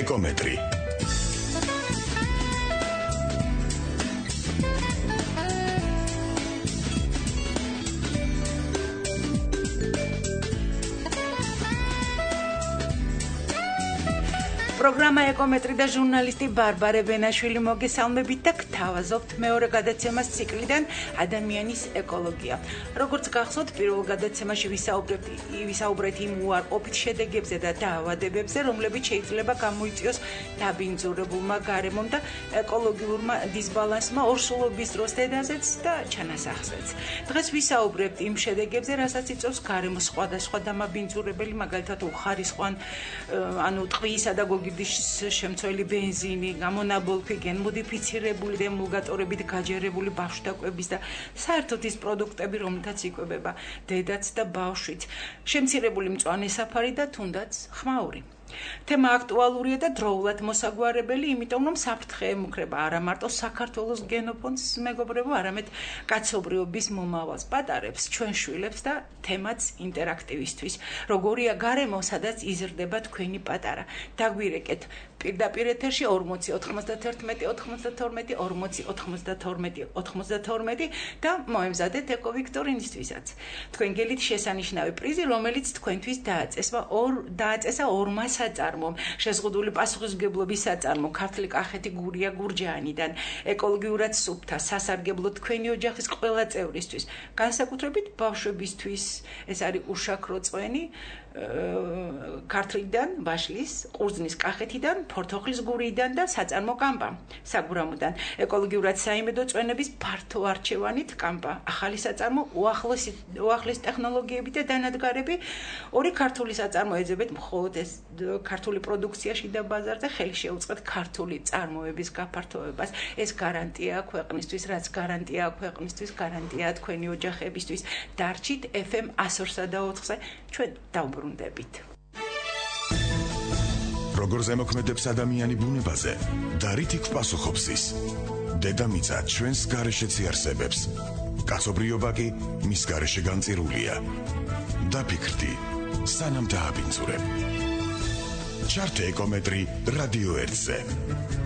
ეკომეტრი. პროგრამა ეკომეტრი და ჟურნალისტი ბარბარე ბენაშვილი მოგესალმებით და გთავაზობთ მეორე გადაცემას ციკლიდან ადამიანის ეკოლოგია. როგორც გახსოვთ, პირველ გადაცემაში ვისაუბრეთ იმ უარყოფით შედეგებზე და დაავადებებზე, რომლებიც შეიძლება გამოიწვიოს დაბინძურებულმა გარემომ და ეკოლოგიურმა დისბალანსმა ორსულობის დროს დედაზეც და ჩანასახზეც. დღეს ვისაუბრებთ იმ შედეგებზე, რასაც იწვევს გარემოს სხვადასხვა დამაბინძურებელი, მაგალითად უხარისხوان, ტყვიისა და შემცველი ბენზინი, გამონაბოლქვი, გენმოდიფიცირებული და ემულგატორებით გაჯერებული ბავშვთა კვების და საერთოდ ის პროდუქტები, რომლითაც იკვებება დედაც და ბავშვიც, შემცირებული მწვანე საფარი და თუნდაც ხმაური. თემა აქტუალურია და დროულად მოსაგვარებელი, იმიტომ რომ საფრთხე ემუქრება არა მარტო საქართველოს გენოფონდს, მეგობრებო, არამედ კაცობრიობის მომავალს, პატარებს, ჩვენ შვილებს და თემაც ინტერაქტივისთვის. როგორია გარემო, სადაც იზრდება თქვენი პატარა. დაგვირეკეთ პირდაპირ ეთერში 40 91 92 40 92 92 და მოემზადეთ ეკო ვიქტორინისთვისაც. თქვენ გელით შესანიშნავი პრიზი, რომელიც თქვენთვის დააწესა ორმა საწარმომ, შეზღუდული პასუხისმგებლობის საწარმო, ქართული კახეთი გურია გურჯაანიდან, ეკოლოგიურად სუფთა, სასარგებლო თქვენი ოჯახის ყველა წევრისთვის, განსაკუთრებით ბავშვებისთვის, ეს არის უშაქრო წვენი, ქართლიდან, ბაშლის, ყურძნის კახეთიდან, ფორთოხლის გურიდან და საწარმო კამპა, საგურამოდან, ეკოლოგიურად საიმედო წვენების ფართო არჩევანით კამპა, ახალი საწარმო, უახლეს ტექნოლოგიები და დანადგარები, ორი ქართული საწარმო ეძებეთ მხოლოდ ეს ქართული პროდუქციაში და ბაზარზე, ხელი შეუწყეთ ქართული წარმოების გაფართოებას. ეს გარანტია ქვეყნისთვის, რაც გარანტია ქვეყნისთვის, გარანტია თქვენი ოჯახებისთვის. დარჩით FM 102.4-ზე, ჩვენ დავბრუნდებით. როგორ ზემოქმედებს ადამიანი ბუნებაზე და რითი გპასუხობს ის? დედამიწა ჩვენს გარეშეც იარსებებს. კაცობრიობა კი მის გარეშე განწირულია. დაფიქრდი, სანამ დააბინძურებ. ჩართე ეკომეტრი რადიო 1-ზე.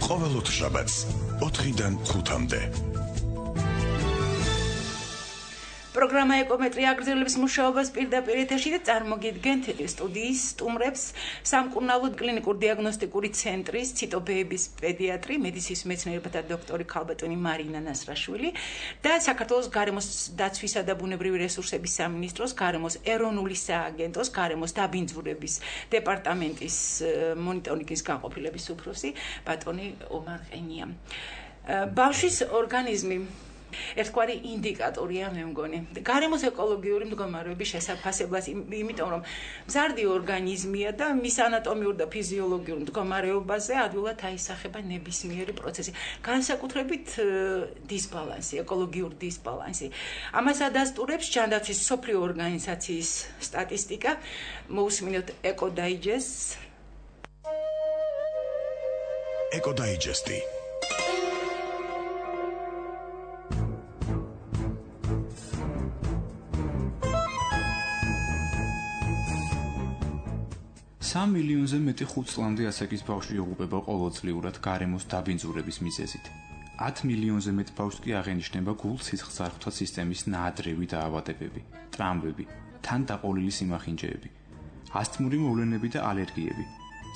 ყოველ ოთხშაბათს 4-დან 5-მდე. პროგრამა ეკომეტრი აგრძელებს მუშაობას პირდაპირ ეთერში და წარმოგიდგენთ სტუდიის სტუმრებს სამკურნალო კლინიკურ დიაგნოსტიკური ცენტრის ციტობეების პედიატრი, მედიცინის მეცნიერებათა დოქტორი ქალბატონი მარინა ნასრაშვილი და საქართველოს გარემოს დაცვისა და ბუნებრივი რესურსების სამინისტროს გარემოს ეროვნული სააგენტოს გარემოს დაბინძურების დეპარტამენტის მონიტორინგის განყოფილების უფროსი ბატონი ომარ ყენია. ბავშვის ორგანიზმი ერთგვარი ინდიკატორია, მე მგონი. გარემოს ეკოლოგიური მდგომარეობის შესაფასებლად, იმიტომ რომ მზარდი ორგანიზმია და მის ანატომიურ და ფიზიოლოგიურ მდგომარეობაზე ადვილად აისახება ნებისმიერი პროცესი, განსაკუთრებით დისბალანსი, ეკოლოგიური დისბალანსი. ამას ადასტურებს ჯანდაცვის მსოფლიო ორგანიზაციის სტატისტიკა. მოусმინოთ ეკოდაიჯესტს. ეკოდაიჯესტი. სამ მილიონზე მეტი 5 წლამდე ასაკის ბავშვი იღუპება ყოველწლიურად გარემოს დაბინძურების მიზეზით. 10 მილიონზე მეტ ბავშვს კი აღენიშნება გულ-სისხლძარღვთა სისტემის ნაადრევი დაავადებები, ტრამვები, თან დაყოლილი სიმახინჯეები, ასთმური მოვლენები და ალერგიები.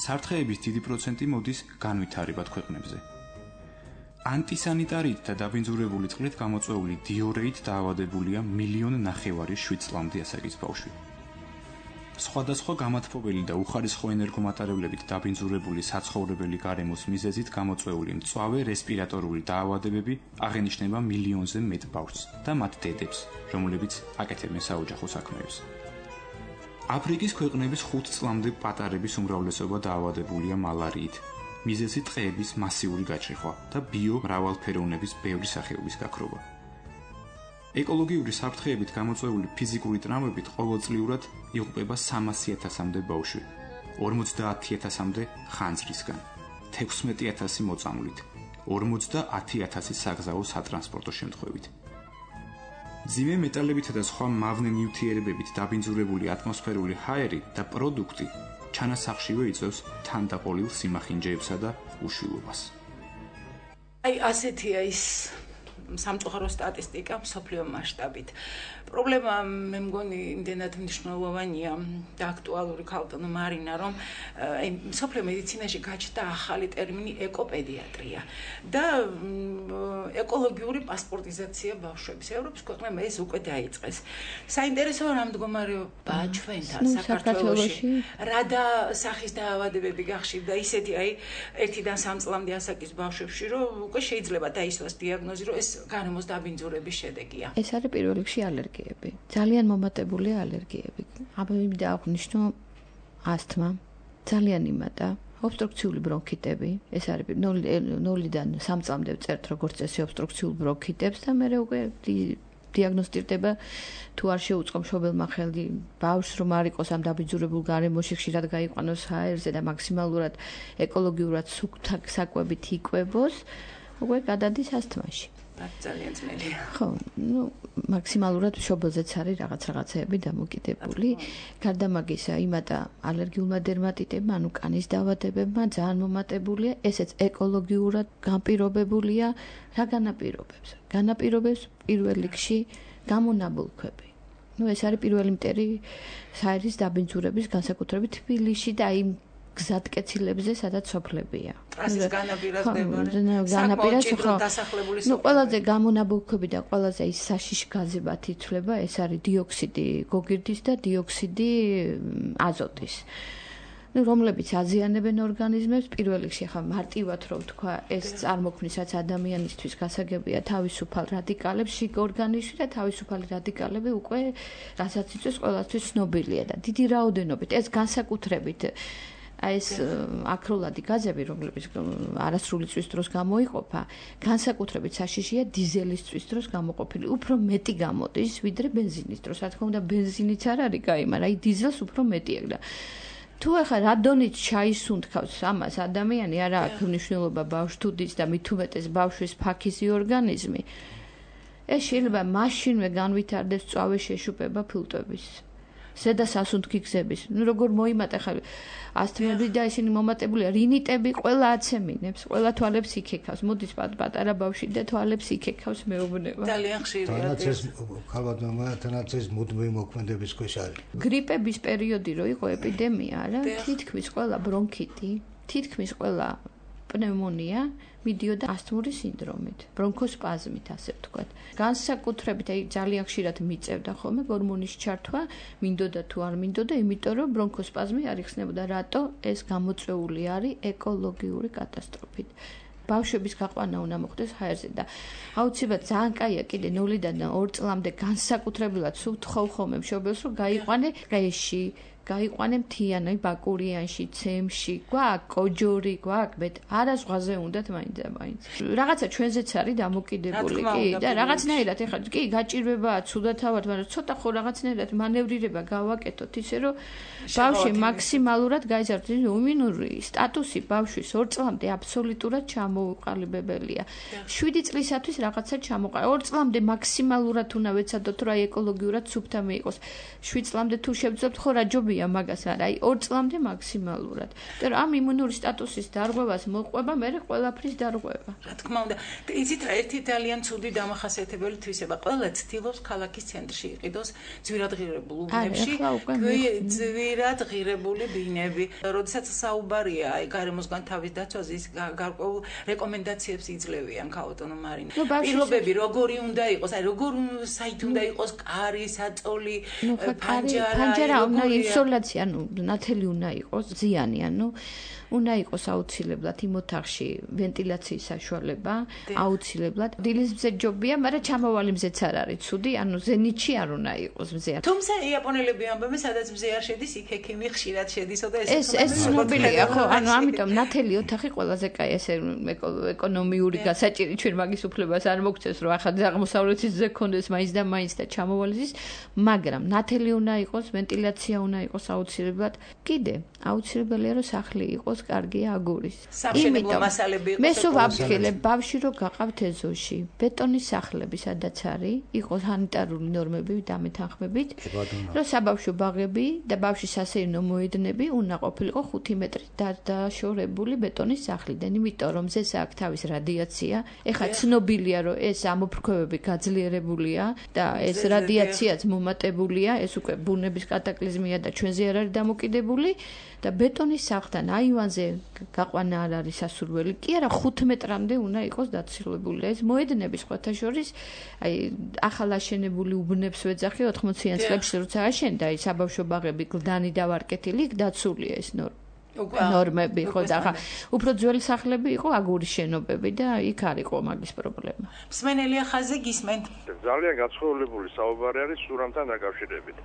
საფრთხეების დიდი პროცენტი მოდის განვითარებად ქვეყნებზე. ანტისანიტარით და დაბინძურებული წყლით გამოწვეული დიორეით დაავადებულია 1,5 მილიონი 7 წლამდე ასაკის ბავშვი. სხვადასხვა გამათბობელი და უხარისხო ენერგომატარებლებით დაბინძურებული საცხოვრებელი გარემოს მიზეზით გამოწვეული მწვავე რესპირატორული დაავადებები აღენიშნება 1 მილიონზე მეტ ბავშვს და მათ დედებს, რომლებიც აკეთებენ საოჯახო საქმეებს. აფრიკის ქვეყნების 5 წლამდე პატარების უმრავლესობა დაავადებულია მალარიით, მიზეზი ტყეების მასიური გაჭრიხვა და ბიომრავალფეროვნების ბევრი სახეობის გაქრობა. ეკოლოგიური საფრთხეებით გამოწვეული ფიზიკური ტრამვებით ყოველწლიურად იღუპება 300,000-მდე ბავშვი, 50,000-მდე ხანძრისგან, 16,000 მოწამვლით, 50,000 საგზაო სატრანსპორტო შემთხვევით. მძიმე მეტალებითა და სხვა მავნე ნივთიერებებით დაბინძურებული ატმოსფერული ჰაერი და პროდუქტი ჩანასახშივე იწვევს თანდაყოლილ სიმახინჯეებსა და უშვილობას. აი ასეთია ის სამწუხარო სტატისტიკა მსოფლიო მასშტაბით. პრობლემა მე მგონი იმდენად მნიშვნელოვანია და აქტუალური ქალბატონო მარინა, რომ აი მსოფლიო მედიცინაში გაჩნდა ახალი ტერმინი ეკოპედიატრია და ეკოლოგიური პასპორტიზაცია ბავშვების. ევროპის ქვეყნებმა ეს უკვე დაიწყეს. საინტერესოა რა მდგომარეობაა ჩვენთან საქართველოში. რა და სახის დაავადებები გახშირდა ისეთი აი 1-დან 3 წლამდე ასაკის ბავშვებში, რომ უკვე შეიძლება დაისვას დიაგნოზი, რომ ეს გარემოს დაბინძურების შედეგია. ეს არის პირველ რიგში ალერგიები. ძალიან მომატებულია ალერგიები. აბა აღნიშნო ასთმა, ძალიან იმატა, ობსტრუქციული ბრონქიტები, ეს არის 0-დან 3 წლამდე ვწერთ როგორც წესი ობსტრუქციულ ბრონქიტებს და მე უკვე დიაგნოსტირდება თუ არ შეუწყო მშობელმა ხელი ბავშვს რომ არ იყოს ამ დაბინძურებულ გარემოში ხშირად გაიყვანოს ჰაერზე და მაქსიმალურად ეკოლოგიურად საკვებით იკვებოს, უკვე გადადის ასთმაში. ძალიან ძნელია. ხო, მაქსიმალურად მშობელზეც არის რაღაცეები დამოკიდებული. გარდა მაგისა, იმატა ალერგიულმა დერმატიტებმა, ანუ კანის დაავადებებმა ძალიან მომატებულია, ესეც ეკოლოგიურად განპირობებულია. რა განაპირობებს? განაპირობებს პირველ რიგში გამონაბოლქვები. ეს არის პირველი მტერი საერის დაბინძურების განსაკუთრებით თბილისში და იმ გზატკეცილებზე, სადაც სოფლებია. ტრასის განაპირობება. დასახლებული სოფლები. ყველაზე გამონაბოლქვები და ყველაზე ის საშიში გაზებად ითვლება, ეს არის დიოქსიდი გოგირდის და დიოქსიდი აზოტის. რომლებიც აზიანებენ ორგანიზმებს, პირველ რიგში ახლა მარტივად რო ვთქვა, ეს წარმოქმნისაც ადამიანისთვის გასაგებია თავისუფალ რადიკალებს შიგ ორგანიზმში და თავისუფალი რადიკალები უკვე რასაც იწვევს ყველასთვის ცნობილია და დიდი რაოდენობით ეს განსაკუთრებით აი ეს აკროლადი გაზები, რომლებიც არასრული წვის დროს გამოიყოფა, განსაკუთრებით საშიშია დიზელის წვის დროს გამოყოფილი. უფრო მეტი გამოდის, ვიდრე ბენზინის დროს. რა თქმა უნდა, ბენზინიც არ არის კაი, მაგრამ აი დიზელს უფრო მეტი აქვს და თუ ახლა რადონით ჩაისუნთქავს ამას ადამიანი, არა აქვს მნიშვნელობა ბავშვს თუ დის და მით უმეტეს ბავშვის ფაქიზი ორგანიზმი. ეს შეიძლება მაშინვე განვითარდეს წვავე შეშუპება ფილტვების. ზედა სასუნთქი გზების. როგორ მოიმატა ხა ასთმები და ისინი მომატებულია, რინიტები ყველა აცემინებს, ყველა თვალებს იქეკავს. მოდის პატარა ბავშვი და თვალებს იქეკავს მეუბნება. ძალიან ხშირია. თანაც ეს მუდმივი მოქმედების ქვეშ არის. გრიპების პერიოდი რო იყო ეპიდემია, არა? თითქმის ყველა ბრონქიტი, თითქმის ყველა პნევმონია მიდიოდა ასთმური სინდრომით, ბრონქოსპაზმით, ასე ვთქვათ. განსაკუთრებით აი ძალიან ხშირად მიწევდა ხოლმე გორმონის ჩართვა, მინდოდა თუ არ მინდოდა, იმიტომ რომ ბრონქოსპაზმი არ იხსნებოდა. რატო? ეს გამოწვეული არის ეკოლოგიური კატასტროფით. ბავშვების გაყვანა უნდა მოხდეს ჰაერზე და აუცილებლად ძალიან კაია კიდე 0-დან 2 წლამდე განსაკუთრებულად სულ თხოვ ხოლმე მშობელს რომ გაიყვანე დღეში გაიყვანე მთიანი ბაკურიანში, ცემში, გვაქვს კოჯორი, გვაქვს მეტ არა ზღვაზე უნდათ მაინც და მაინც. რაღაცა ჩვენზეც არის დამოკიდებული კი და რაღაცნაირად ეხლა კი გაჭირვებაა ცუდათავად, მაგრამ ცოტა ხო რაღაცნაირად მანევრირება გავაკეთოთ ისე რომ ბავშვი მაქსიმალურად გაიზარდოს. იმუნური სტატუსი ბავშვის 2 წლამდე აბსოლუტურად ჩამოუყალიბებელია. 7 წლისათვის რაღაცა ჩამოყალიბება. 2 წლამდე მაქსიმალურად უნდა ვეცადოთ რა ეკოლოგიურად სუფთა მიიღოს. 7 წლამდე თუ შევძლებთ ხო რა ჯობია მაგას არა, აი 2 წლამდე მაქსიმალურად. და ამ იმუნური სტატუსის დარღვევას მოყვება, მე ყველაფრის დარღვევა. რა თქმა უნდა, იცით რა, ერთი ძალიან ცუდი დამახასიათებელი თვისება, ყველა ცდილობს ქალაქის ცენტრში იყიდოს ძვირადღირებულ უბნებში, ძვირად ღირებული ბინები. როდესაც საუბარია აი გარემოსგან თავის დაცვაზე, ის გარკვეულ რეკომენდაციებს იძლევიან ქალბატონო მარინა. პირობები როგორი უნდა იყოს, აი როგორ საით უნდა იყოს კარი, საწოლი, პანჯარა, ისოლაცია, ანუ ნათელი უნდა იყოს, ზიანი, ანუ უნდა იყოს აუცილებლად იმ ოთახში ვენტილაციის საშუალება, აუცილებლად. დილის მზე ჯობია, მაგრამ ჩამოვალი მზეც არ არის ცუდი, ანუ ზენიტში არ უნდა იყოს მზე. თუმცა იაპონელები ამბობენ, სადაც მზე არ შედის, იქ ექიმი ხშირად შედისო და ეს ცნობილია, ხო, ანუ ამიტომ ნათელი ოთახი ყველაზე კაი, ესე ეკონომიური გასაჭირი ჩვენ მაგის უფლებას არ მოგცეს, რომ ახლა აღმოსავლეთის ზე ქონდეს მაინც და მაინც და ჩამოვალის, მაგრამ ნათელი უნდა იყოს, ვენტილაცია უნდა იყოს აუცილებლად. კიდე აუცილებელია რომ სახლი იყოს კარგია აგურის. სამშენებლო მასალები იყოს. მე სულ ვაფრთხილებ ბავშვი რო გაყავთ ეზოში, ბეტონის სახლები სადაც არის, იყოს სანიტარული ნორმები და მეთანხმებით, რომ საბავშვო ბაღები და ბავშვის სასეირნო მოედნები უნდა ყოფილიყო 5 მეტრით დაშორებული ბეტონის სახლიდან, იმიტომ რომ ზეს აქვს თავის რადიაცია. ეხლა ცნობილია რომ ეს ამოფრქვევები გაძლიერებულია და ეს რადიაციაც მომატებულია, ეს უკვე ბუნების კატაკლიზმია და ჩვენზე არ არის დამოკიდებული და ბეტონის სახლთან აივანზე გაყვანა არ არის სასურველი. კი არა 5 მეტრამდე უნდა იყოს დაცილებული. ეს მოედნები სხვათა შორის აი ახალ აშენებული უბნებს ვეძახი 80-იან წლებში როცა აშენდა აი საბავშვო ბაღები გლდანი და ვარკეთილი იქ დაცულია ეს ნორმები ხო და ახლა უფრო ძველი სახლები იყო აგურის შენობები და იქ არ იყო მაგის პრობლემა. მსმენელია ხაზზე გისმენთ. ძალიან გაცხოველებული საუბარი არის სურამთან დაკავშირებით.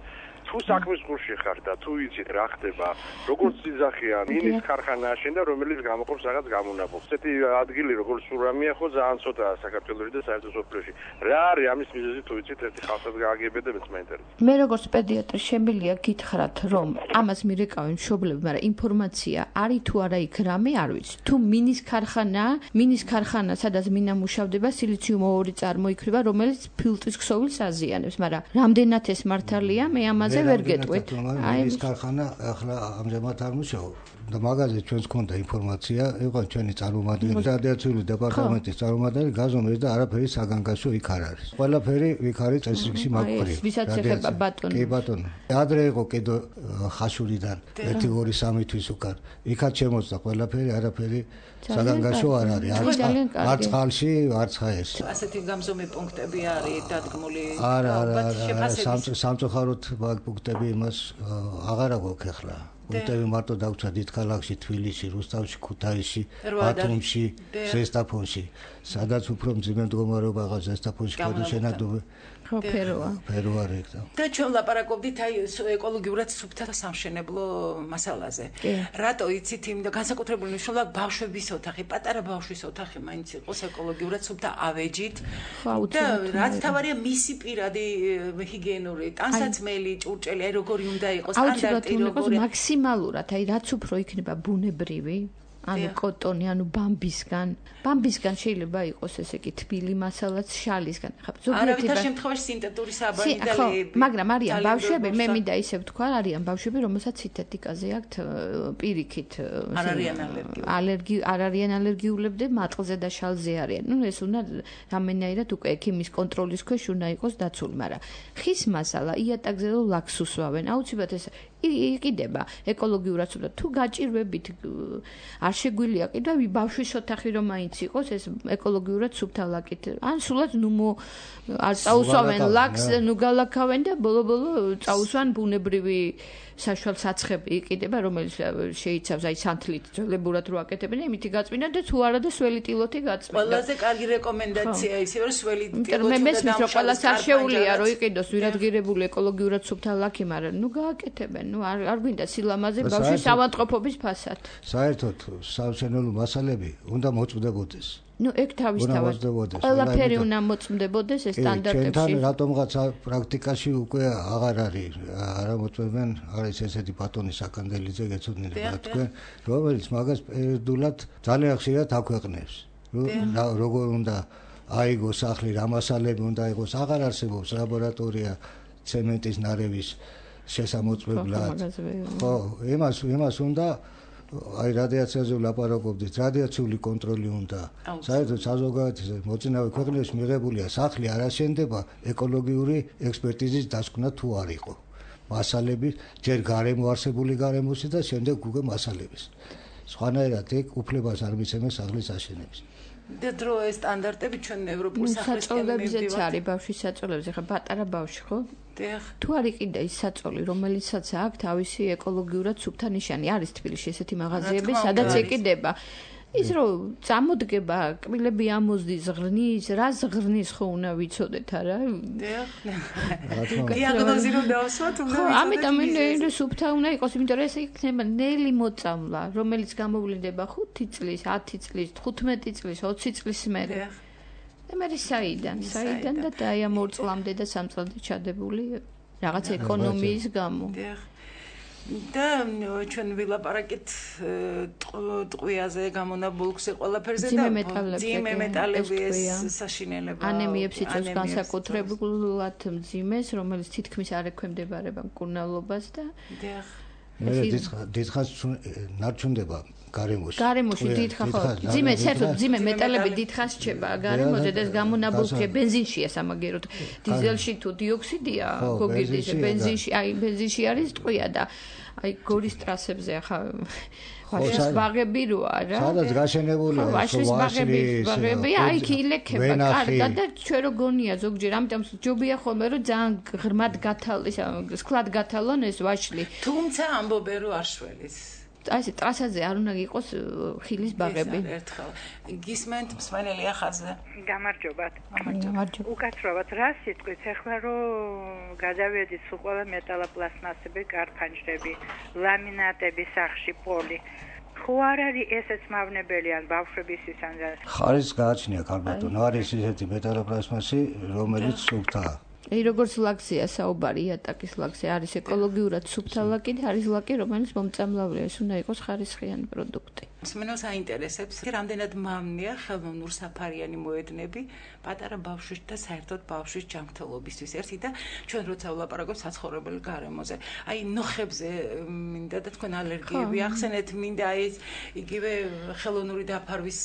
თუ საქმის გულში ხარ და თუ იცით რა ხდება, როგორც ძახიან, მინის ქარხანა აშენდა, რომელიც გამოყოფს რაღაც გამონაბოლს. ესეთი ადგილი როგორც სურამია ხო ძალიან ცოტაა საქართველოში და საერთოდ სოფლიოში. რა არის ამის მიზეზი თუ იცით, ერთი ხალხად გააგებედე მეც მაინტერესებს. მე როგორც პედიატრი შემიძლია გითხრათ, რომ ამას მირეკავენ მშობლები, მაგრამ ინფორმაცია არის თუ არა იქ რამე არ ვიცი. თუ მინის ქარხანა, სადაც მინა მუშავდება, სილიციუმ-2 წარმოიქმნება, რომელიც ფილტვის ქსოვილს აზიანებს, მაგრამ რამდენად ეს მართალია, მე ამაზე ვერ გეტყვით. აი ეს ქარხანა ახლა ამჟამად არ მუშაობს. და მაგაზე ჩვენს გქონდა ინფორმაცია, იყო ჩვენი წარმომადგენელი, რადიაციული დეპარტამენტის წარმომადგენელი გაზომეს და არაფერი საგანგაშო იქ არ არის. ყველაფერი იქ არის წესრიგში მაგყურია. ვისაც ეხება ბატონი. კი ბატონო. ადრე იყო კიდო ხაშურიდან 1-2-3 თვის უკან. იქაც შემოწდა ყველაფერი, არაფერი საგანგაშო არ არის. არც წყალში, არც ხაერში. ასეთი გამზომი პუნქტები არის დადგმული. არა, სამწუხაროდ მაგ პუნქტები იმას აღარ აქვს ახლა. პუნქტები მარტო დაგვცა დიდქალაქში, თბილისში, რუსთავში, ქუთაისში, ბათუმში, ზესტაფონში. სადაც უფრო მძიმე მდგომარეობაა ზესტაფონში გადაშენადობი. ხო, ფეროა რექტა. და ჩვენ ლაპარაკობდით აი ეკოლოგიურად სუფთა სამშენებლო მასალაზე. რატო იცით იმიტომ განსაკუთრებული მნიშვნელობა ბავშვების ოთახი, პატარა ბავშვის ოთახი მაინც იყოს ეკოლოგიურად სუფთა ავეჯით. და რაც თავარია მისი პირადი ჰიგიენური ტანსაცმელი, ჭურჭელი, აი როგორი უნდა იყოს სტანდარტი როგორი მაქსიმალურად, აი რაც უფრო იქნება ბუნებრივი ანუ კოტონი, ანუ ბამბისგან შეიძლება იყოს ესე იგი თბილი მასალაც შალისგან. არავითარ შემთხვევაში სინთეტური საბანიდალები. მაგრამ არიან ბავშვები, მე მინდა ისე ვთქვა, არიან ბავშვები, რომელსაც სინთეტიკაზე აქვთ პირიქით არ არიან ალერგიულები და მატყლზე და შალზე არიან. ნუ ეს უნდა რამენაირად უკვე ექიმის კონტროლის ქვეშ უნდა იყოს დაცული, მაგრამ ხის მასალა იატაკზე და ლაქს უსვავენ. აუცილებლად ეს იყიდება ეკოლოგიურად სუფთა. თუ გაჭირვებით არ შეგვიძლია კიდევ ბავშვის ოთახი რომ მაინც იყოს ეს ეკოლოგიურად სუფთა ლაკით. ან სულაც არ წაუსვავენ ლაქს, ნუ გალაქავენ და ბოლო წაუსვან ბუნებრივი საშუალ საცხები იყიდება, რომელიც შეიცავს აი სანთლით ძველებურად რო აკეთებენ, იმითი გაწმინდა და თუ არა და სველი ტილოთი გაწმინდა. ყველაზე კარგი რეკომენდაცია ისე რომ სველი ტილოთი მე მესმის რომ ყველას არ შეუძლია რომ იყიდოს ვირადღირებული ეკოლოგიურად სუფთა ლაქი, მაგრამ ნუ გააკეთებენ, ნუ არ გვინდა სილამაზე ბავშვის ავადმყოფობის ფასად. საერთოდ სამშენებლო მასალები უნდა მოწმდებოდეს. ნუ ეგ თავისთავად ყველაფერი უნდა მოწმდებოდეს ეს სტანდარტებში. ჩვენთან რატომღაც პრაქტიკაში უკვე აღარ არის არამოწმებენ, არის ესეთი ბატონი საკანდელიძე გეცოდინებათ თქვენ, რომელიც მაგას პერიოდულად ძალიან ხშირად აქვეყნებს. როგორ უნდა აიგოს სახლი, რა მასალები უნდა იყოს, აღარ არსებობს ლაბორატორია ცემენტის ნარევის შესამოწმებლად. ხო, იმას უნდა აი რადიაციაზე ვლაპარაკობდით, რადიაციული კონტროლი უნდა. საერთოდ საზოგადოების მოწინავე ქვეყნებში მიღებულია სახლი არ აშენდება ეკოლოგიური ექსპერტიზის დასკვნა თუ არ იყო. მასალები ჯერ გარემო არსებული გარემოსი და შემდეგ უკვე მასალების. სხვანაირად ეგ უფლებას არ მიცემენ სახლის აშენების. და დრო ეს სტანდარტები ჩვენ ევროპულ სახლისკენ მივდივართ. არის ბავშვის საწოლებზე, ხა პატარა ბავშვი ხო? თუ არ იყიდა ის საწოლი, რომელიცაც აქვს თავისი ეკოლოგიურად სუფთა ნიშანი, არის თბილისში ესეთი მაღაზიები, სადაც იყიდება. ის რომ წამოდგება, კბილები ამოზდის, ზღრნის, რა ზღრნის ხო უნდა ვიცოდეთ, არა? დიაგნოზი რომ დავსვათ, უნდა ვიცოდეთ. ამიტომ მე სუფთა უნდა იყოს, იმიტომ რომ ეს იქნება ნელი მოწამლა, რომელიც გამოვლინდება 5 წლის, 10 წლის, 15 წლის, 20 წლის მერე. და მე საიდან და აი ამ 2 წლამდე და 3 წლამდე ჩადებული რაღაც ეკონომიის გამო. და ჩვენ ვილაპარაკეთ ტყვიაზე გამონაბოლქვზე ყველაფერზე და ძიმე მეტალები ეს საშინელება ანემიებს იწვევს განსაკუთრებულად მძიმეს, რომელიც თითქმის არ ექვემდებარება მკურნალობას და მე დიდხანს ნარჩუნდება გარემოში. გარემოში დიდხანს ხო. ძიმე საერთოდ ძიმე მეტალები დიდხანს რჩება გარემოზე და ეს გამონაბოლქვია ბენზინშია სამაგეროდ. დიზელში თუ დიოქსიდია, გოგირდის ბენზინში არის ტყვია და აი გორის ტრასებზე ახლა ვაშლის ბაღები როა რა. სადაც გაშენებულია ვაშლის ბაღები, აი იქ ილექება კარგად და ჩვენ რო გონია ზოგჯერ, ამიტომ ჯობია ხოლმე რომ ძალიან ღრმად გათალოს, სკლად გათალონ ეს ვაშლი. თუმცა ამბობენ რომ არ შველის. აი ეს ტრასაზე არ უნდა იყოს ხილის ბაღები. ერთხელ გისმენთ მსმენელი ახალზე. გამარჯობათ. გამარჯობა. უკაცრავად რა სიტყვით ახლა რომ გადავედით სულ ყველა მეტალოპლასტმასები, კარფანჯრები, ლამინატები სახში პოლი. ხო არ არის ესეც მავნებელი ან ბავშვებისთვის ან ხარისხს გააჩნია ქალბატონო, არის ისეთი მეტალოპლასტმასი, რომელიც სუფთაა. აი როგორც ლაკზია საუბარი, იატაკის ლაკზე არის ეკოლოგიურად სუფთა ლაკი და არის ლაკი, რომელიც მომწამლავია, ეს უნდა იყოს ხარისხიანი პროდუქტი. მსმენელს აინტერესებს, რამდენად მავნეა ხელოვნურ საფარიანი მოედნები პატარა ბავშვის და საერთოდ ბავშვის ჯანმრთელობისთვის. ერთი და ჩვენ როცა ვლაპარაკობთ საცხოვრებელ გარემოზე, აი ნოხებზე მინდა და თქვენ ალერგიები ახსენეთ, მინდა აი იგივე ხელოვნური დაფარვის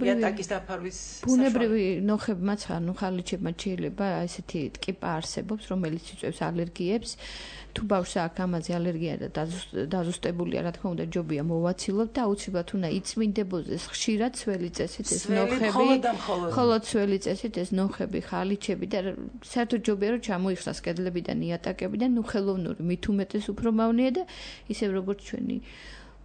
იატაკის დაფარვის ბუნებრივი ნოხებმაც ანუ ხალიჩებმაც შეიძლება ესეთი ტკიპა არსებობს, რომელიც იწვევს ალერგიებს. თუ ბავშვს აქვს ამაზე ალერგია და დაზუსტებულია, რა თქმა უნდა, ჯობია მოვაცილოთ და აუცილებლად უნდა იწმინდებოდეს ხშირად ცველი წესით ეს ნოხები, ხოლო ცველი წესით ეს ნოხები, ხალიჩები და საერთოდ ჯობია რომ ჩამოიხსნას კედლებიდან იატაკებიდან, ნუ ხელოვნური მით უმეტეს უფრო მავნეა და ისევ როგორც ჩვენი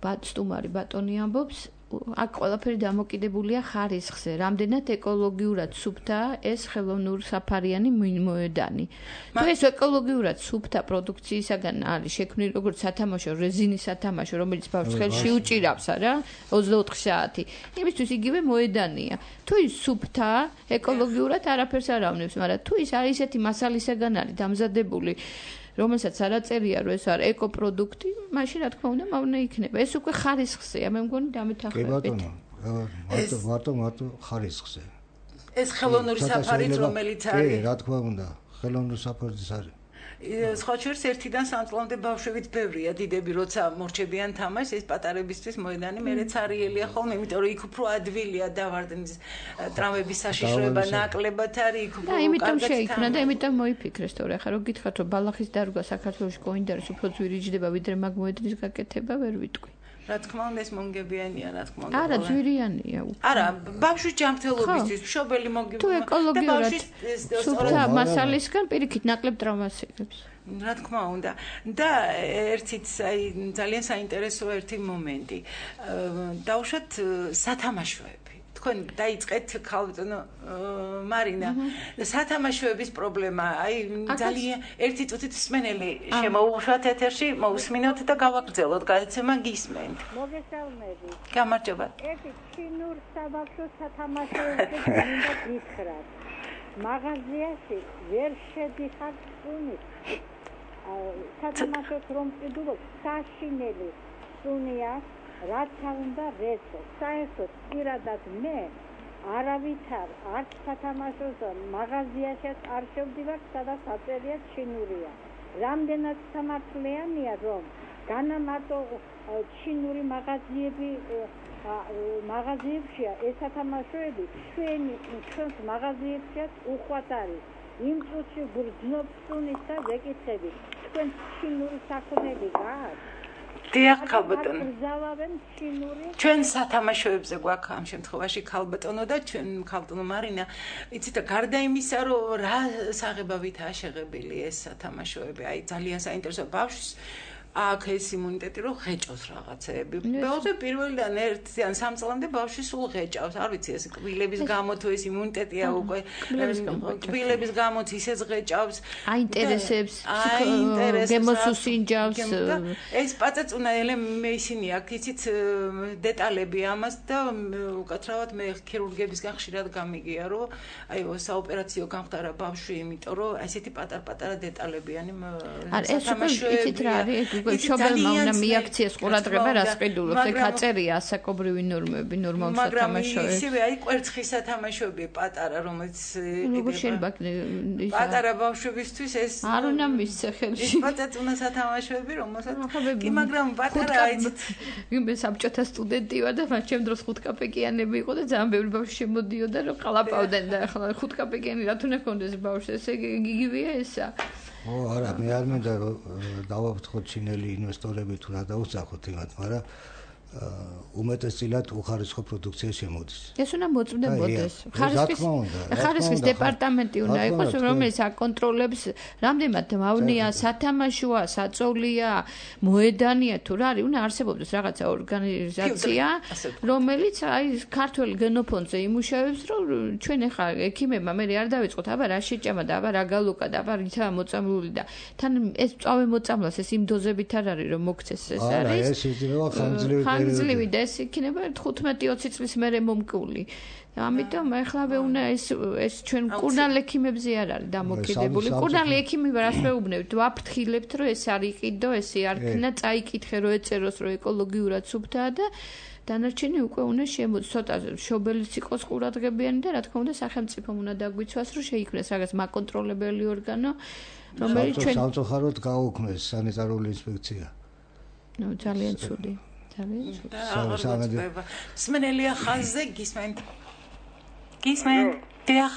სტუმარი ბატონი ამბობს, აქ ყველაფერი დამოკიდებულია ხარისხზე, რამდენად ეკოლოგიურად სუფთაა ეს ხელოვნურ საფარიანი მოედანი. თუ ეს ეკოლოგიურად სუფთა პროდუქციისაგან არის შექმნილი როგორც სათამაშო, რეზინის სათამაშო, რომელიც ბავშვს ხელში უჭირავს რა, 24 საათი. იმისთვის იგივე მოედანია. თუ ის სუფთაა, ეკოლოგიურად არაფერს არ ავნებს, მაგრამ თუ ის არის ესეთი მასალისაგან არის დამზადებული, რომელსაც არაწერია რომ ეს არის ეკოპროდუქტი, მაშინ რა თქმა უნდა მავნე იქნება. ეს უკვე ხარისხზეა, მე მგონი დამეთანხმებით. კი ბატონო, მარტო ხარისხზე. ეს ხელოვნური საფარით რომელიც არის. კი, რა თქმა უნდა, ხელოვნური საფარიც არის. სხვა შორის ერთიდან სამწლამდე ბავშვებით ბევრია დიდები როცა მორჩებიან თამაშს ეს პატარებისთვის მოედანი მეც არიელია ხოლმე იმიტომ რომ იქ უფრო ადვილია დავარდნის ტრამვების საშიშროება ნაკლებად არის იქ უფრო იმიტომ შეიქმნა და იმიტომ მოიფიქრეს თორე ახლა რო გითხრათ რომ ბალახის დარგვა საქართველოში კოინდარის უფრო ძვირიჯდება ვიდრე მაგ მოედნის გაკეთება ვერ ვიტყვი რა თქმა უნდა ეს მონგებიანია რა თქმა უნდა არა ძვირიანია არა ბავშვის ჯანმრთელობისთვის მშობელი მოგიბა თუ ეკოლოგიურად სუფთა მასალისგან პირიქით ნაკლებ ტრამვას იღებს რა თქმა უნდა და ერთიც აი ძალიან საინტერესო ერთი მომენტი დავუშვათ სათამაშოები თქვენ დაიწყეთ ქალბატონო მარინა სათამაშოების პრობლემა აი ძალიან ერთი წუთით მსმენელი შემოუშვათ ეთერში მოусმინოთ და გავაგრძელოთ გადაცემა გისმენთ მოგესალმები გამარჯობა ერთი ჩინურ საბავშვო სათამაშოებზე მინდა გითხრათ მაღაზიაში ვერ შედიხარ სუნი სათამაშოს რომ ვყიდულობ საშინელი სუნია რაც უნდა რეცო საერთოდ პირადად მე არავითარ არც სათამაშოს მაღაზიაშიც არ შევდივარ სადაც აწერია ჩინურია რამდენად სამართლიანია რომ განამარტო ჩინური მაღაზიებშია ეს სათამაშოები ჩვენს მაღაზიებშიც უხვად არის იმ წუთში გრძნობ სუნის და ვეკითხები თქვენ ჩინური საქონელი გააქვთ დიახ ქალბატონო ჩვენ სათამაშოებზე გვაქვს ამ შემთხვევაში ქალბატონო და ჩვენ ქალბატონო მარინა იცით და გარდა იმისა რომ რა საღებავითაა შეღებილი ეს სათამაშოები აი ძალიან საინტერესოა ბავშვს აქ ეს იმუნიტეტი რომ ღეჭოს რაღაცეები. მეოთხე პირველიდან 1-დან 3 წლამდე ბავშვი სულ ღეჭავს. არ ვიცი ეს კბილების გამო თუ ეს იმუნიტეტია უკვე კბილების გამო ისეც ღეჭავს. აინტერესებს, გემოსუსინჯავს. ეს პაწაწუნაელე მე ისინი აქ იცით დეტალები ამას და უკაცრავად მე ქირურგებისგან ხშირად გამიგია რომ აი საოპერაციო გამხდარა ბავშვი იმიტომ რომ ესეთი პატარ-პატარა დეტალებიანი სათამაშოები. უკვე მშობელმა უნდა მიაქციეს ყურადღება რას ყიდულობს. ეგ აწერია ასაკობრივი ნორმები, ნორმალ სათამაშოებში. მაგრამ ისევე აი კვერცხი სათამაშოები პატარა, რომელიც როგორ შეიძლება პატარა ბავშვებისთვის ეს არ უნდა მისცე ხელში. პატაწუნა სათამაშოები, რომელსაც კი, მაგრამ პატარა აიცით. მე საბჭოთა სტუდენტი ვარ და მას ჩემ დროს ხუთკაპეკიანები იყო და ძალიან ბევრი ბავშვი შემოდიოდა რომ ყალაპავდნენ და ახლა ხუთკაპეკიანი რა თუნდა კონდეს ბავშვს, ესე იგივეა ესა. არა, მე არ მინდა დავაფრთხოთ ჩინელი ინვესტორები თუ რა დაუსახოთ იმათ, მაგრამ უმეტესწილად უხარისხო პროდუქცია შემოდის. ეს უნდა მოწმდებოდეს. ხარისხის დეპარტამენტი უნდა იყოს, რომელიც აკონტროლებს რამდენად მავნია, სათამაშოა, საწოლია, მოედანია თუ რა არის, უნდა არსებობდეს რაღაცა ორგანიზაცია, რომელიც აი ქართველ გენოფონდზე იმუშავებს, რომ ჩვენ ახლა ექიმებმა მე არ დავიწყოთ, აბა რა შეჭამა და აბა რა გალოკა და აბა რითაა მოწამლული და თან ეს წავე მოწამლას ეს იმ დოზებით არ არის რომ მოქცეს ეს არის. არა, ეს შეიძლება ხანგრძლივი და ეს იქნება 15-20 წლის მერე მომკული. ამიტომ ახლავე უნდა ეს ჩვენ კურნალ ექიმებზე არ არის დამოკიდებული. კურნალ ექიმები რას მეუბნებთ? ვაფრთხილებთ, რომ ეს არ იყიდო, ესე არ ქნა, წაიკითხე, რომ ეწეროს, რომ ეკოლოგიურად სუფთაა და დანარჩენი უკვე უნდა შემოწ ცოტა შობელიც იყოს ყურადღებიანი და რა თქმა უნდა სახელმწიფომ უნდა დაგვიცვას, რომ შეიქმნეს რაღაც მაკონტროლებელი ორგანო, რომელიც ჩვენ სამწუხაროდ გაუქმეს სანიტარული ინსპექცია. ნუ ძალიან ცუდი. სმენელია ხაზზე გისმენთ. გისმენთ. დიახ.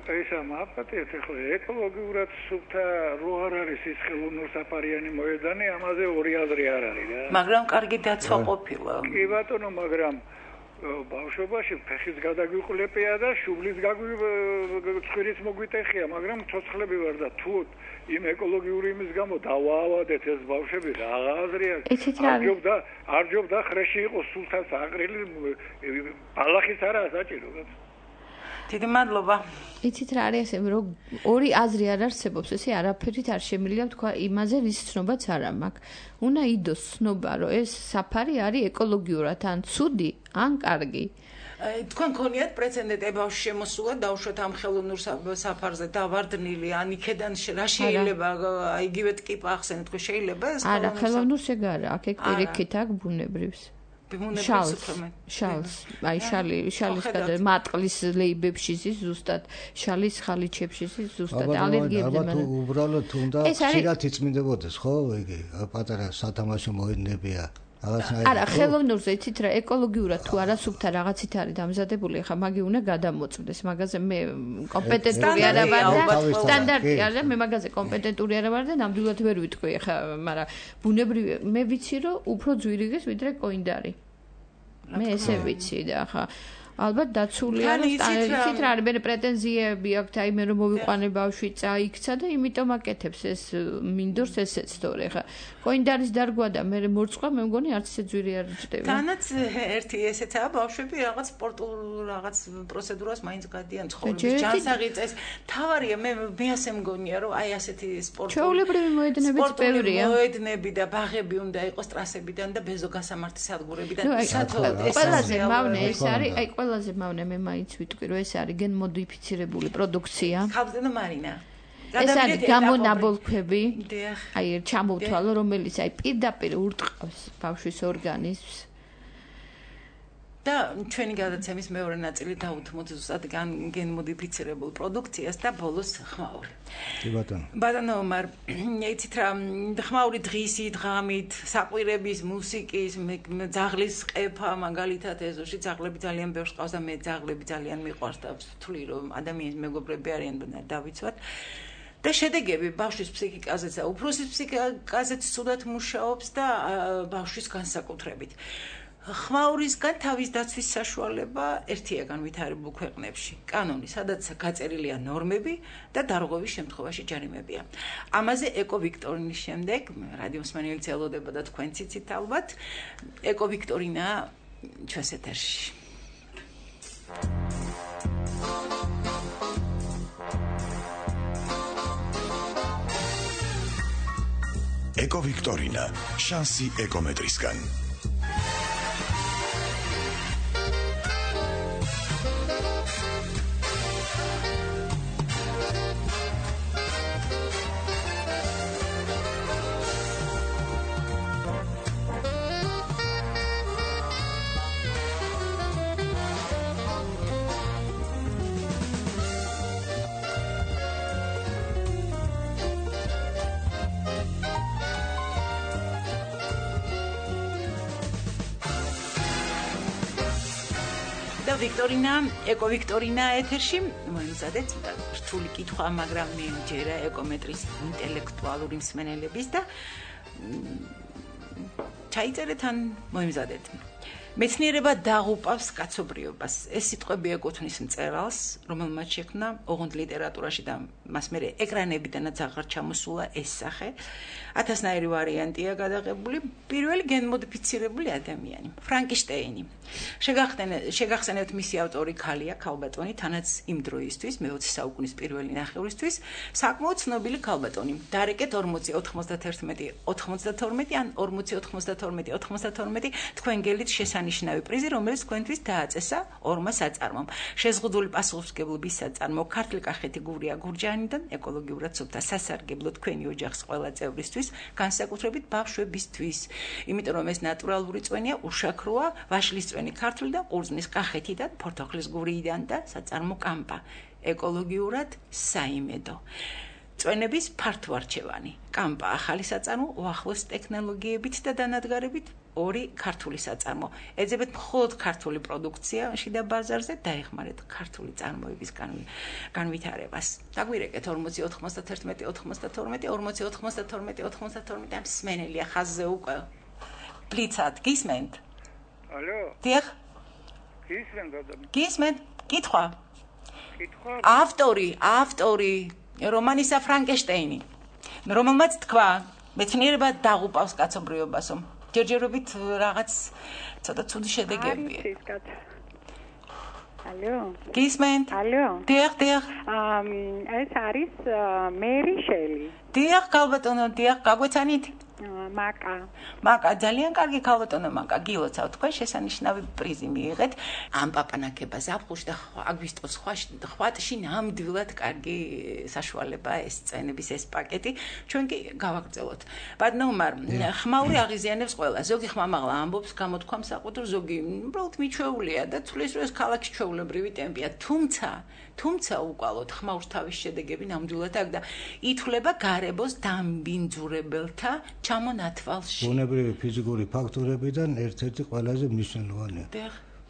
ესა მაპატეთ ხო ეკოლოგიურად სუფთა რო არ არის ის ხელოვნურსაფარიანი მოედანი, ამაზე ორი აზრი არ არის რა. მაგრამ კარგი დაცვა ყოფილა. კი ბატონო, მაგრამ ბავშვობაში ფეხის გადაგვიყლებია და შუბლის ცხვირის მოგვიტეხია, მაგრამ ცოცხლები ვარ და თუ იმ ეკოლოგიური იმის გამო დავაავადეთ ეს ბავშვები რა აზრია? არ ჯობდა ხრეში იყოს სულთან საყრელი ბალახის არაა საჭირო. დიდი მადლობა. იცით რა არის ესე რომ ორი აზრი არ არსებობს, ესე არაფერით არ შემიძლია თქვა იმაზე რის ცნობაც არ მაქვს. უნდა იდოს ცნობა რომ ეს საფარი არის ეკოლოგიურად ან ცუდი ან კარგი. თქვენ გქონიათ პრეცედენტი ბავშვი შემოსულა დაუშვათ ამ ხელოვნურ საფარზე და ვარდნილი ან იქედან რა შეიძლება იგივე ტკიპა ახსენეთ ხო შეიძლება ეს არა ხელოვნურს ეგ არა აქ პირიქით აქ ბუნებრივს შალს აი შალის გადა მატყლის ლეიბებში ზის ზუსტად შალის ხალიჩებში ზის ზუსტად ალერგიებზე მაგრამ უბრალოდ უნდა ხშირად იწმინდებოდეს ხო იგი პატარა სათამაშო მოედნებია არა ხელოვნურზე იცით რა ეკოლოგიურად თუ არა სუფთა რაღაცით არის დამზადებული ხა მაგი უნდა გადამოწდეს მაგაზე მე კომპეტენტური არა ვარ და სტანდარტი არა მე მაგაზე კომპეტენტური არა ვარ და ნამდვილად ვერ ვიტყვი ხა მაგრამ ბუნებრივი მე ვიცი რომ უფრო ძვირიგეს ვიდრე კოინდარი მე ესე ვიცი და ხა ალბათ დაცულია რომ სტანდარტით რა არის მე პრეტენზიები აქვს აი მე რომ მოვიყვანე ბავშვი წაიქცა და იმიტომ აკეთებს ეს მინდორს ესეც თორე ხა კოინდარის დარგვა და მე მორწყვა მე მგონი არც ისე ძვირი არ ჭდება თანაც ერთი ესეცაა ბავშვები რაღაც სპორტულ რაღაც პროცედურას მაინც გადიან ცხოვრების ჯანსაღი წეს თავარია მე ასე მგონია რომ აი ასეთი სპორტული ჩვეულებრივი მოედნებიც ბევრია მოედნები და ბაღები უნდა იყოს ტრასებიდან და ბეზო გასამართი სადგურებიდან ყველაზე მავნე ეს არის აი ყველაზე მავნე მე მაინც ვიტყვი რომ ეს არის გენმოდიფიცირებული პროდუქცია ხავდენო მარინა ეს არის გამონაბოლქვები აი ჩამოვთვალო რომელიც აი პირდაპირ ურტყავს ბავშვის ორგანიზმს და ჩვენი გადაცემის მეორე ნაწილი დაუთმოთ ზუსტად გენმოდიფიცირებულ პროდუქციას და ბოლოს ხმაური. კი ბატონო. ბატონო მარ იცით რა ხმაური დღისით, ღამით, საყვირების, მუსიკის, ძაღლის ყეფა მაგალითად ეზოში ძაღლები ძალიან ბევრს ყავს და მე ძაღლები ძალიან მიყვარს და ვთვლი რომ ადამიანის მეგობრები არიან და დავიცვათ. და შედეგები ბავშვის ფსიქიკაზეც და უფროსის ფსიქიკაზეც ცუდად მუშაობს და ბავშვის განსაკუთრებით. ხმაურისგან თავის დაცვის საშუალება ერთია განვითარებულ ქვეყნებში. კანონი, სადაც გაწერილია ნორმები და დარღვევის შემთხვევაში ჯარიმებია. ამაზე ეკოვიქტორინის შემდეგ რადიოსმენელიც ელოდება და თქვენც იცით ალბათ, ეკოვიქტორინა ჩვენს ეთერში. ეკოვიქტორინა, შანსი ეკომეტრისგან. ეკოვიქტორინა ეთერში მოიმზადეთ რთული კითხვა, მაგრამ მე მჯერა ეკომეტრის ინტელექტუალური მსმენელების და ჩაიწერეთ ან მოიმზადეთ. მეცნიერება დაღუპავს კაცობრიობას. ეს სიტყვები ეკუთვნის მწერალს, რომელმაც შექმნა ოღონდ ლიტერატურაში და მას მერე ეკრანებიდანაც აღარ ჩამოსულა ეს სახე. 1000-ნაირი ვარიანტია გადაღებული, პირველი გენმოდიფიცირებული ადამიანი, ფრანკენშტეინი. შეგახსენებთ მისი ავტორი ქალია, ქალბატონი, თანაც იმ დროისთვის, მე-20 საუკუნის პირველი ნახევრისთვის, საკმაოდ ცნობილი ქალბატონი. დარეკეთ 40-91-92 ან 40-92-92 თქვენ გელით შესანიშნავი პრიზი, რომელიც თქვენთვის დააწესა ორმა საწარმომ. შეზღუდული პასუხისმგებლობის საწარმო ქართლ კახეთი გურია გურჯაანიდან ეკოლოგიურად სუფთა სასარგებლო თქვენი ოჯახის ყველა წევრისთვის, განსაკუთრებით ბავშვებისთვის. იმიტომ რომ ეს ნატურალური წვენია, უშაქროა, ვაშლის წვენი ქართლი და ყურძნის კახეთიდან, ფორთოხლის გურიიდან და საწარმო კამპა. ეკოლოგიურად საიმედო. წვენების ფართოარჩევანი. კამპა ახალი საწარმო, უახლოს ტექნოლოგიებით და დანადგარებით, ორი ქართული საწარმო. ეძებეთ მხოლოდ ქართული პროდუქცია შიდა ბაზარზე, დაეხმარეთ ქართული წარმოების განვითარებას. დაგვირეკეთ 40-91-92 ამ სმენელია ხაზზე უკვე. ბლიცად, გისმენთ? ალო? დიახ. გისმენთ? კითხვა? ავტორი რომანისა ფრანკენშტეინი, რომელმაც თქვა, მეცნიერება დაღუპავს კაცობრიობასო. ჯერჯერობით რაღაც ცოტა ცუდი შედეგებია. ალო? გისმენთ? ალო? დიახ. ეს არის მერი შელი. დიახ, ქალბატონო, დიახ, გაგვეცანით? მაკა, ძალიან კარგი ქალბატონო მაკა, გილოცავ, თქვენ შესანიშნავი პრიზი მიიღეთ. ამ პაპანაკება ზაფხულში და აგვისტოს ხვატში ნამდვილად კარგი საშუალებაა ეს წენების ეს პაკეტი. ჩვენ კი გავაგრძელოთ. ბატონო, ხმაური აღიზიანებს ყველა. ზოგი ხმამაღლა ამბობს გამოთქვამს საყუდრო, ზოგი უბრალოდ მიჩვეულია და თulis რომ ეს ქალაქის ჩვეულებრივი ტემპია. თუმცა უკვალოდ ხმაურს თავის შედეგები ნამდვილად აქვს და ითვლება გარებოს დამბინძურებელთა ჩამონათვალში. ბუნებრივი ფიზიკური ფაქტორებიდან ერთ-ერთი ყველაზე მნიშვნელოვანია.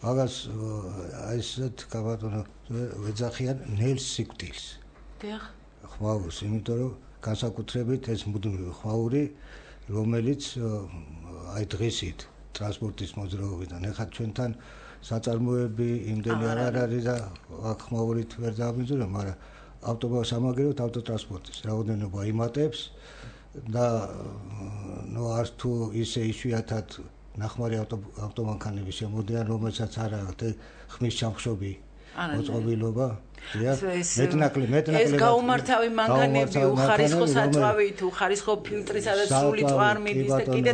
მაგას ესეთ კაბატონო ვეძახიან ნელს სიკვდილს. ხმაურს, იმიტომ რომ განსაკუთრებით ეს მუდმივი ხმაური, რომელიც აი დღისით ტრანსპორტის მოძრაობიდან ეხლა ჩვენთან საწარმოები იმდენი არ არის და აქ ხმაურით ვერ დააბინძურებ, მაგრამ ავტომობილს ავტოტრანსპორტის რაოდენობა იმატებს და არც თუ ისე იშვიათად ნახმარი ავტომანქანები შემოდიან, რომელსაც არ აქვს ხმის ჩამხშობი მოწყობილობა. მეტნაკლი ეს გაუმართავი მანქანები, უხარისხო საწვავით, უხარისხო ფილტრისა და სრული წვარმებით და კიდე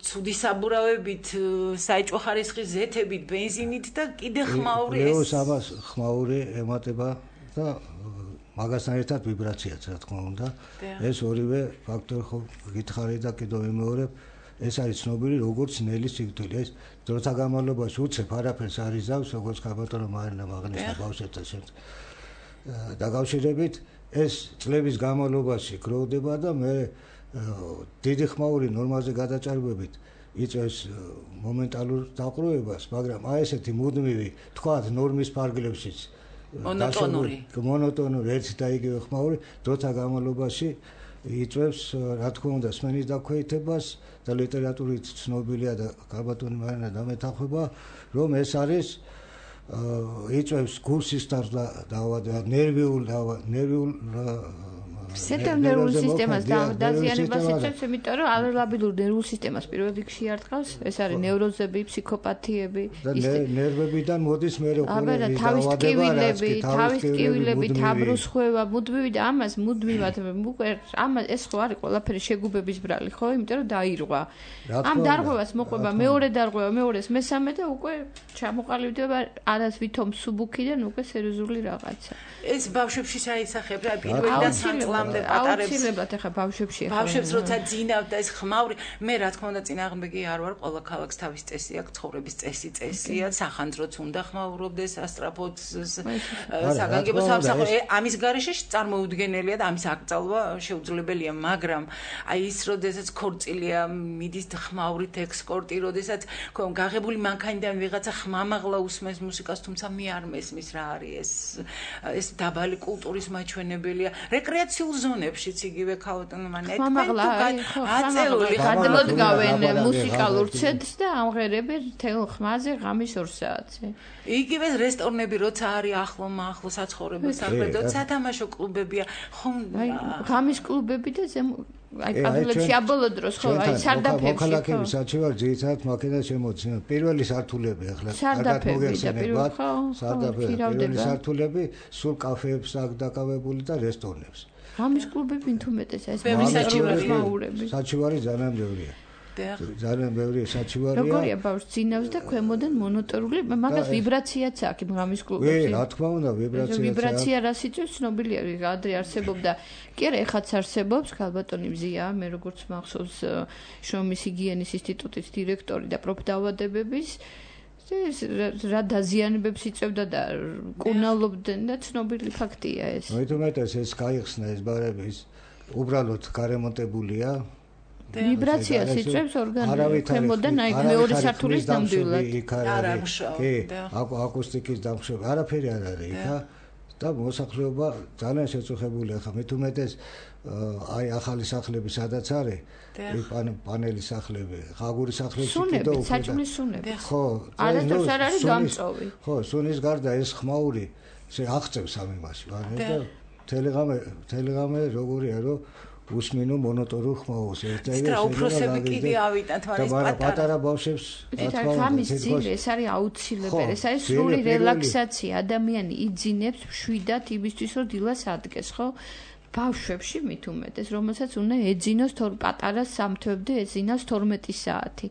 ცუდი საბურავებით, საეჭვო ხარისხის ზეთებით, ბენზინით და კიდე ხმაური ეს ამას ხმაური ემატება და მაგასთან ერთად ვიბრაციაც რა თქმა უნდა. ეს ორივე ფაქტორი ხო გითხარი და კიდევ ვიმეორებ, ეს არის ცნობილი როგორც ნელის სიკვდილი. ეს დროთა განმავლობაში უცებ არაფერს არ იზავს, როგორც ქალბატონო მარინა მაგნესა ბავშვებთან დაკავშირებით, ეს წლების განმავლობაში გროვდება და მე დიდი ხმაური ნორმაზე გადაჭარბებით იწევს მომენტალურ დაყრუებას, მაგრამ აი ესეთი მუდმივი, თქვათ ნორმის ფარგლებშიც მონოტონური ერთი და იგივე ხმაური დროთა განმავლობაში იწევს, რა თქმა უნდა, სმენის დაქვეითებას და ლიტერატურით ცნობილია და ქალბატონი მარინა დამეთანხმება, რომ ეს არის იწევს გულსისხლს დაავადება, ნერვიულ ნერვულ სისტემას დაზიანებას იწევს, იმიტომ რომ ალერგიულ ნერვულ სისტემას პირველ რიგში არტყავს, ეს არის ნევროზები, ფსიქოპათიები, ნერვებიდან მოდის მე როგორი თავის ტკივილები, თაბრუსხვევა, მუდმივი და ამას მუდმივად უკვე ამას ეს ხო არის ყველაფერი შეგუბების ბრალი, ხო? იმიტომ რომ დაირღვა. ამ დარღვევას მოყვება მეორე დარღვევა, მეორეს, მესამე და უკვე ჩამოყალიბდება არას ვითომ სუბუქიდან უკვე სერიოზული რაღაცა. ეს ბავშვებში საისახებ რა პირველი და საწლამ დღემდე პატარებს აუცილებლად ეხა ბავშვებში როცა ძინავდა ეს ხმაური მე რა თქმა უნდა წინააღმდეგი არ ვარ ყველა ქალაქს თავის წესი აქვს ცხოვრების წესია სახანძროც უნდა ხმაურობდეს ასტრაფოდ საგანგებო სამსახური ამის გარეშე წარმოუდგენელია და ამის აკრძალვა შეუძლებელია მაგრამ აი ის როდესაც ქორწილია მიდის ხმაურით ექსკორტი როდესაც გაღებული მანქანიდან ვიღაცა ხმამაღლა უსმენს მუსიკას თუმცა მე არ მესმის რა არის ეს დაბალი კულტურის მაჩვენებელია რეკრეაციულ ზონებშიც იგივე ქალბატონმა ხმამაღლა აწეული გადმოდგავენ მუსიკალურ ცედს და ამღერებენ თელ ხმაზე ღამის 2 საათზე იგივე რესტორნები როცა არის ახლო საცხოვრებელ საქმედო სათამაშო კლუბებია ხომ ღამის კლუბები და აი პაბლებში აბოლო დროს ხო აი სარდაფებში მოქალაქეების საჩივარ ძირითადად მაქედან შემოძინა პირველი სართულები ახლა კარგად მოგეხსენებათ პირველი სართულები სულ კაფეებს აქვს დაკავებული და რესტორნებს ღამის კლუბები თუმეტეს ეს საჩივარი ძალიან ბევრია ძალიან ბევრი საჩივარია როგორია ბავშვს ძინავს და ქვემოდან მონოტორული მაგას ვიბრაციაც აქვს ღამის კლუბებში რა თქმა უნდა ვიბრაცია რას იწვევს ცნობილია ადრე არსებობდა კი არა ეხაც არსებობს ქალბატონი მზია მე როგორც მახსოვს შრომის ჰიგიენის ინსტიტუტის დირექტორი და პროფდაავადებების რა დაზიანებებს იწევდა და კუნალობდნენ და ცნობილი ფაქტია ეს მოითუმეტეს ეს გაიხსნა ეს ბარების უბრალოდ გარემონტებულია ვიბრაციას იწვევს ორგანიზმი ქვემოდან აი მეორე სართულის ნამდვილად კი აკუსტიკის დამშვები არაფერი არ არის იქა და მოსახლეობა ძალიან შეწუხებულია ხა მithumetes აი ახალი სახლები სადაც არის პანელი სახლები ღაგური სახლები კიდევ უფრო საჭმლის სუნები ხო არასდროს არ არის გამწოვი ხო სუნის გარდა ეს ხმაური აღწევს ამ იმაში და თელეგრამე როგორია რომ უსმინო მონოტორულ ხმაურს და უფროსები კიდე ავიტანთ მაგრამ პატარა ბავშვებს ამის ძილ ეს არის აუცილებელი ეს არის სრული რელაქსაცია ადამიანი იძინებს მშვიდად იმისთვის რომ დილას ადგეს ხო ბავშვებში მithumetes რომელსაც უნდა ეძინოს პატარა სამთვებდე ეძინოს 12 საათი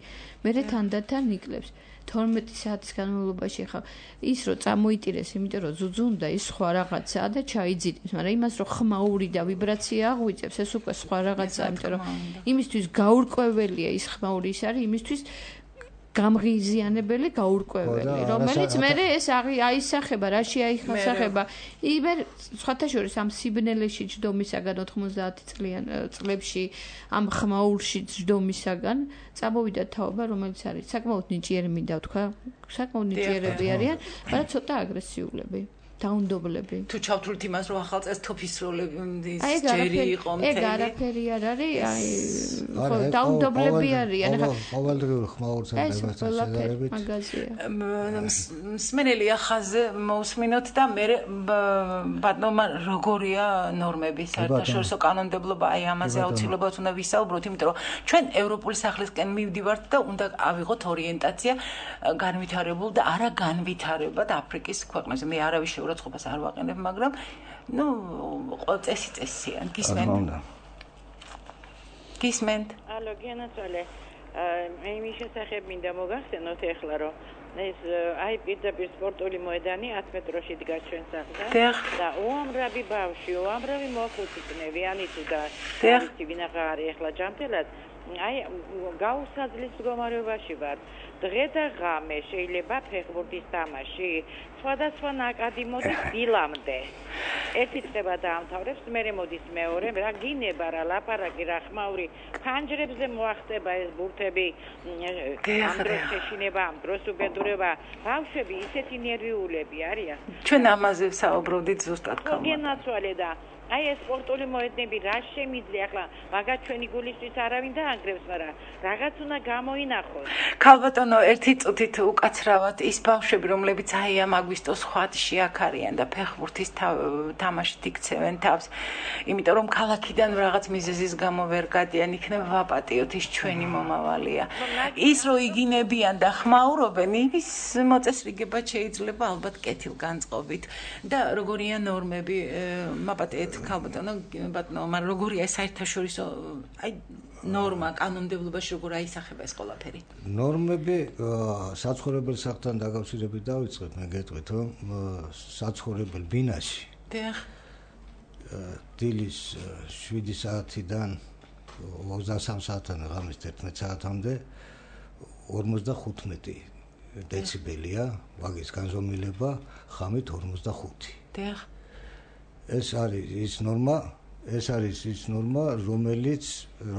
მერე თანდათან იკლებს 12 საათის განმავლობაში ხა ის რომ წამოიტირეს იმიტომ რომ ზუძუნდა ის სხვა რაღაცაა და ჩაიძინებს მაგრამ იმას რომ ხმაური და ვიბრაცია აღვიწევს ეს უკვე სხვა რაღაცაა იმიტომ რომ იმისთვის გაურკვეველია ის ხმაური ის არის იმისთვის გამღიზიანებელი გაურკვეველი რომელიც მე ეს აისახება რაში აიხსახება იმე სხვათა შორის ამ სიბნელეში ჯდომისაგან 90 წლებში ამ ხმაურში ჯდომისაგან წამოვიდა თაობა რომელიც არის საკმაოდ ნიჭიერი მინდა ვთქვა საკმაოდ ნიჭიერები არიან მაგრამ ცოტა აგრესიულები დაუნდობლები თუ ჩავთვლით იმას რომ ახალ წელს თოფის როლები ჯერი იყო მთელი ეგ არაფერი არ არის აი ხო დაუნდობლები არიან ახლა ყოველდღიური ხმაურთან შედარებით მაგაზია მსმენელია ხაზე მოусმინოთ და მე ბატონმა როგორია ნორმები საერთაშორისო კანონმდებლობა აი ამაზე აუცილებლად უნდა ვისაუბროთ იმიტომ რომ ჩვენ ევროპული სახლისკენ მივდივართ და უნდა ავიღოთ ორიენტაცია განვითარებულ და არა განვითარებად აფრიკის ქვეყნებზე მე არავის ურაცხყოფას არ ვაყენებ, მაგრამ ნუ წესიან. გისმენთ? ალო, გენაცვალე. მე იმის შესახებ მინდა მოგახსენოთ ეხლა რომ ეს აი პირდაპირ სპორტული მოედანი 10 მეტროში დგას ჩვენ სახლთან და უამრავი ბავშვი, უამრავი მოხუცნები ანიცი და ვიცი ვინახა არის ეხლა ჯანმრთელად აი გაუსაძლის მდგომარეობაში ვარ. დღე და ღამე შეიძლება ფეხბურთის თამაში სხვადასხვა ნაკადი მოდის დილამდე. ერთი წება დაამთავრებს, მერე მოდის მეორე, რა გინება რა ლაპარაკი რა ხმაური ფანჯრებზე მოახტება ეს ბურთები ამ დროს შეშინება, ამ დროს უბედურება, ბავშვები ისეთი ნერვიულები არიან. ჩვენ ამაზე ვსაუბრობდით ზუსტად ხომ. გენაცვალე და აი ეს სპორტული მოედნები რა შემიძლია ახლა მაგათ ჩვენი გულისთვის არავინ დაანგრევს მაგრამ რაღაც უნდა გამოინახოს ქალბატონო ერთი წუთით უკაცრავად ის ბავშვები რომლებიც აი ამ აგვისტოს ხვადში აქ არიან და ფეხბურთის თამაშით იქცევენ თავს იმიტომ რომ ქალაქიდან რაღაც მიზეზის გამო ვერ გადიან იქნება ვაპატიოთ ის ჩვენი მომავალია ის რო იგინებიან და ხმაურობენ ის მოწესრიგება შეიძლება ალბათ კეთილგანწყობით და როგორია ნორმები მაპატიეთ ქალბატონო ბატონო მაგრამ როგორია საერთაშორისო აი ნორმა კანონმდებლობაში როგორ აისახება ეს ყველაფერი ნორმები საცხოვრებელ სახლთან დაკავშირებით დავიწყებ მე გეტყვით რომ საცხოვრებელ ბინაში დილის 7 საათიდან 23 საათამდე ღამის 11 საათამდე 55 დეციბელია ვაგის განზომილება, ღამით 45. დიახ. ეს არის ის ნორმა,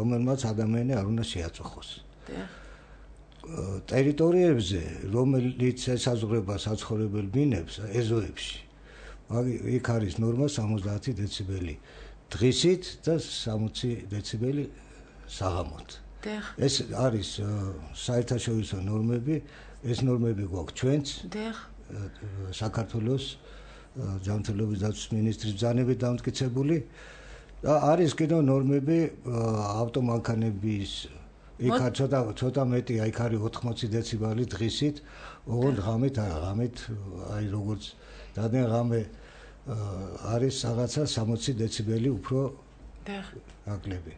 რომელმაც ადამიანი არ უნდა შეაწუხოს. დიახ. ტერიტორიებზე, რომელიც ესაზღვრება საცხოვრებელ ბინებს, ეზოებში, იქ არის ნორმა 70 დეციბელი დღისით და 60 დეციბელი საღამოთ. ეს არის საერთაშორისო ნორმები, ეს ნორმები გვაქვს ჩვენც. საქართველოს ჯანმრთელობის დაცვის მინისტრის ბრძანებით დამტკიცებული და არის კიდევ ნორმები ავტომანქანების იქ ცოტა მეტია, იქ არის 80 დეციბელი დღისით, ოღონდ ღამით აი როგორც დადენ ღამე არის რაღაცა 60 დეციბელი უფრო აკლები.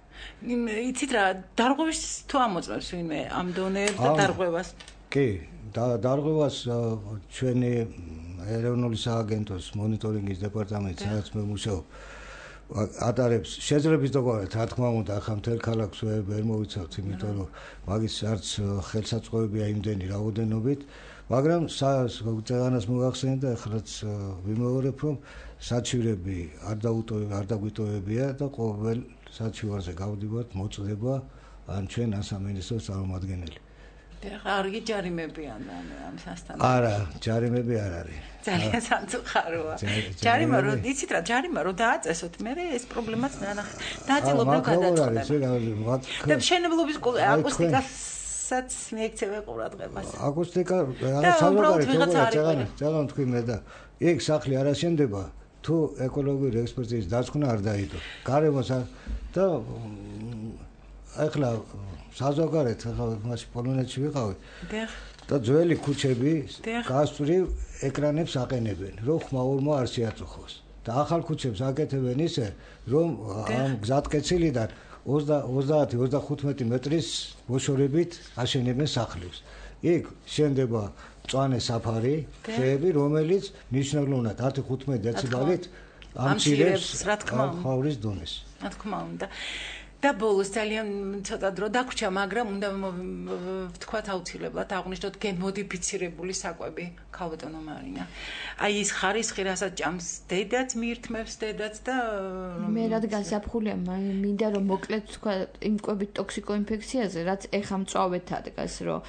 იცით რა, დარღვევას თუ ამოწმებს ვინმე ამ დონეებს და დარღვევას? კი, დარღვევას ჩვენი ეროვნული სააგენტოს მონიტორინგის დეპარტამენტი, სადაც მე მუშაობ, ატარებს შეძლებს დოგვარად, რა თქმა უნდა, ახლა მთელ ქალაქს ვერ მოვიცავთ, იმიტომ რომ მაგის არც ხელსაწყოებია იმდენი რაოდენობით, მაგრამ წეგანას მოგახსენეთ და ახლაც ვიმეორებ, რომ საჩივრები არ დაგვიტოვებია და ყოველ საჩივარზე გავდივართ მოწდება ან ჩვენ ასამინისტროს წარმომადგენელი. არ გიჯარიმებიან ამ სასთან. არა, ჯარიმები არ არის. ძალიან სამწუხაროა. ჯარიმა რო იცით რა, ჯარიმა რო დააწესოთ, მე ეს პრობლემაც დააწილობრივ გადაწყდება. და მშენებლობის აკუსტიკასაც მიექცევა ყურადღებას. აკუსტიკა რაღაც საზოგადოებრივ ძალიან თქვი მე და იქ სახლი არ აშენდება, თუ ეკოლოგიური ექსპერტიზის დაცქნა არ დაიდო. გარემოს და ახლა საზოგადოებრივ ახლა მასში პოლონეთში ვიყავი. და ძველი ქუჩები გასწვრივ ეკრანებს აყენებენ, რომ ხმაურმა არ შეაწუხოს. და ახალ ქუჩებს აკეთებენ ისე, რომ ამ გზატკეცილიდან 30-35 მეტრის მოშორებით აშენებენ სახლებს. იქ შენდება მწვანე საფარი, ხეები, რომელიც მნიშვნელოვნად 10-15 დეციბელით ამცირებს ხმაურის დონეს. რა თქმა უნდა. და ბოლოს ძალიან ცოტა დრო დაგვრჩა, მაგრამ უნდა ვთქვათ აუცილებლად აღვნიშნოთ გენმოდიფიცირებული საკვები, ქალბატონო მარინა. აი ის ხარისხი, რასაც ჭამს დედაც, მიირთმევს დედაც და მე რადგან საფხულია, მინდა რომ მოკლედ თქვა იმ კვებით ტოქსიკოინფექციაზე, რაც ეხა მწვავედ ადგას, რომ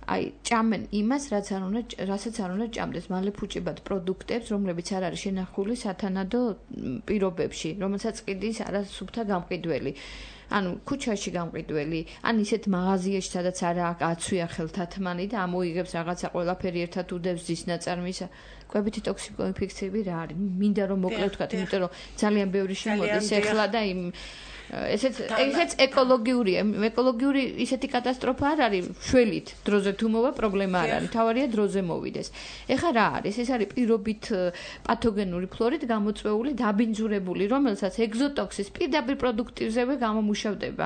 აი ჭამენ იმას, რასაც არ უნდა ჭამდეს, მალე ფუჭებად პროდუქტებს, რომლებიც არ არის შენახული სათანადო პირობებში, რომელსაც ყიდის არასუფთა გამყიდველი. ანუ ქუჩაში გამყიდველი, ან ისეთ მაღაზიაში, სადაც არა აცვია ხელთათმანი და ამოიღებს რაღაცა ყველაფერი ერთად უდევს ძის ნაწარმის, კვებითი ტოქსიკოინფექციები რა არის? მინდა რომ მოკლედ ვთქვათ, იმიტომ რომ ძალიან ბევრი შემოდის ეხლა და იმ ესეც ეკოლოგიურია. ეკოლოგიური ისეთი კატასტროფა არ არის, შველით დროზე თუ მოვა პრობლემა არ არის, თავარია დროზე მოვიდეს. ეხლა რა არის? ეს არის პირობით პათოგენური ფლორით გამოწვეული დაბინძურებული, რომელსაც ეგზოტოქსის პირდაპირ პროდუქტივზევე გამომუშავდება.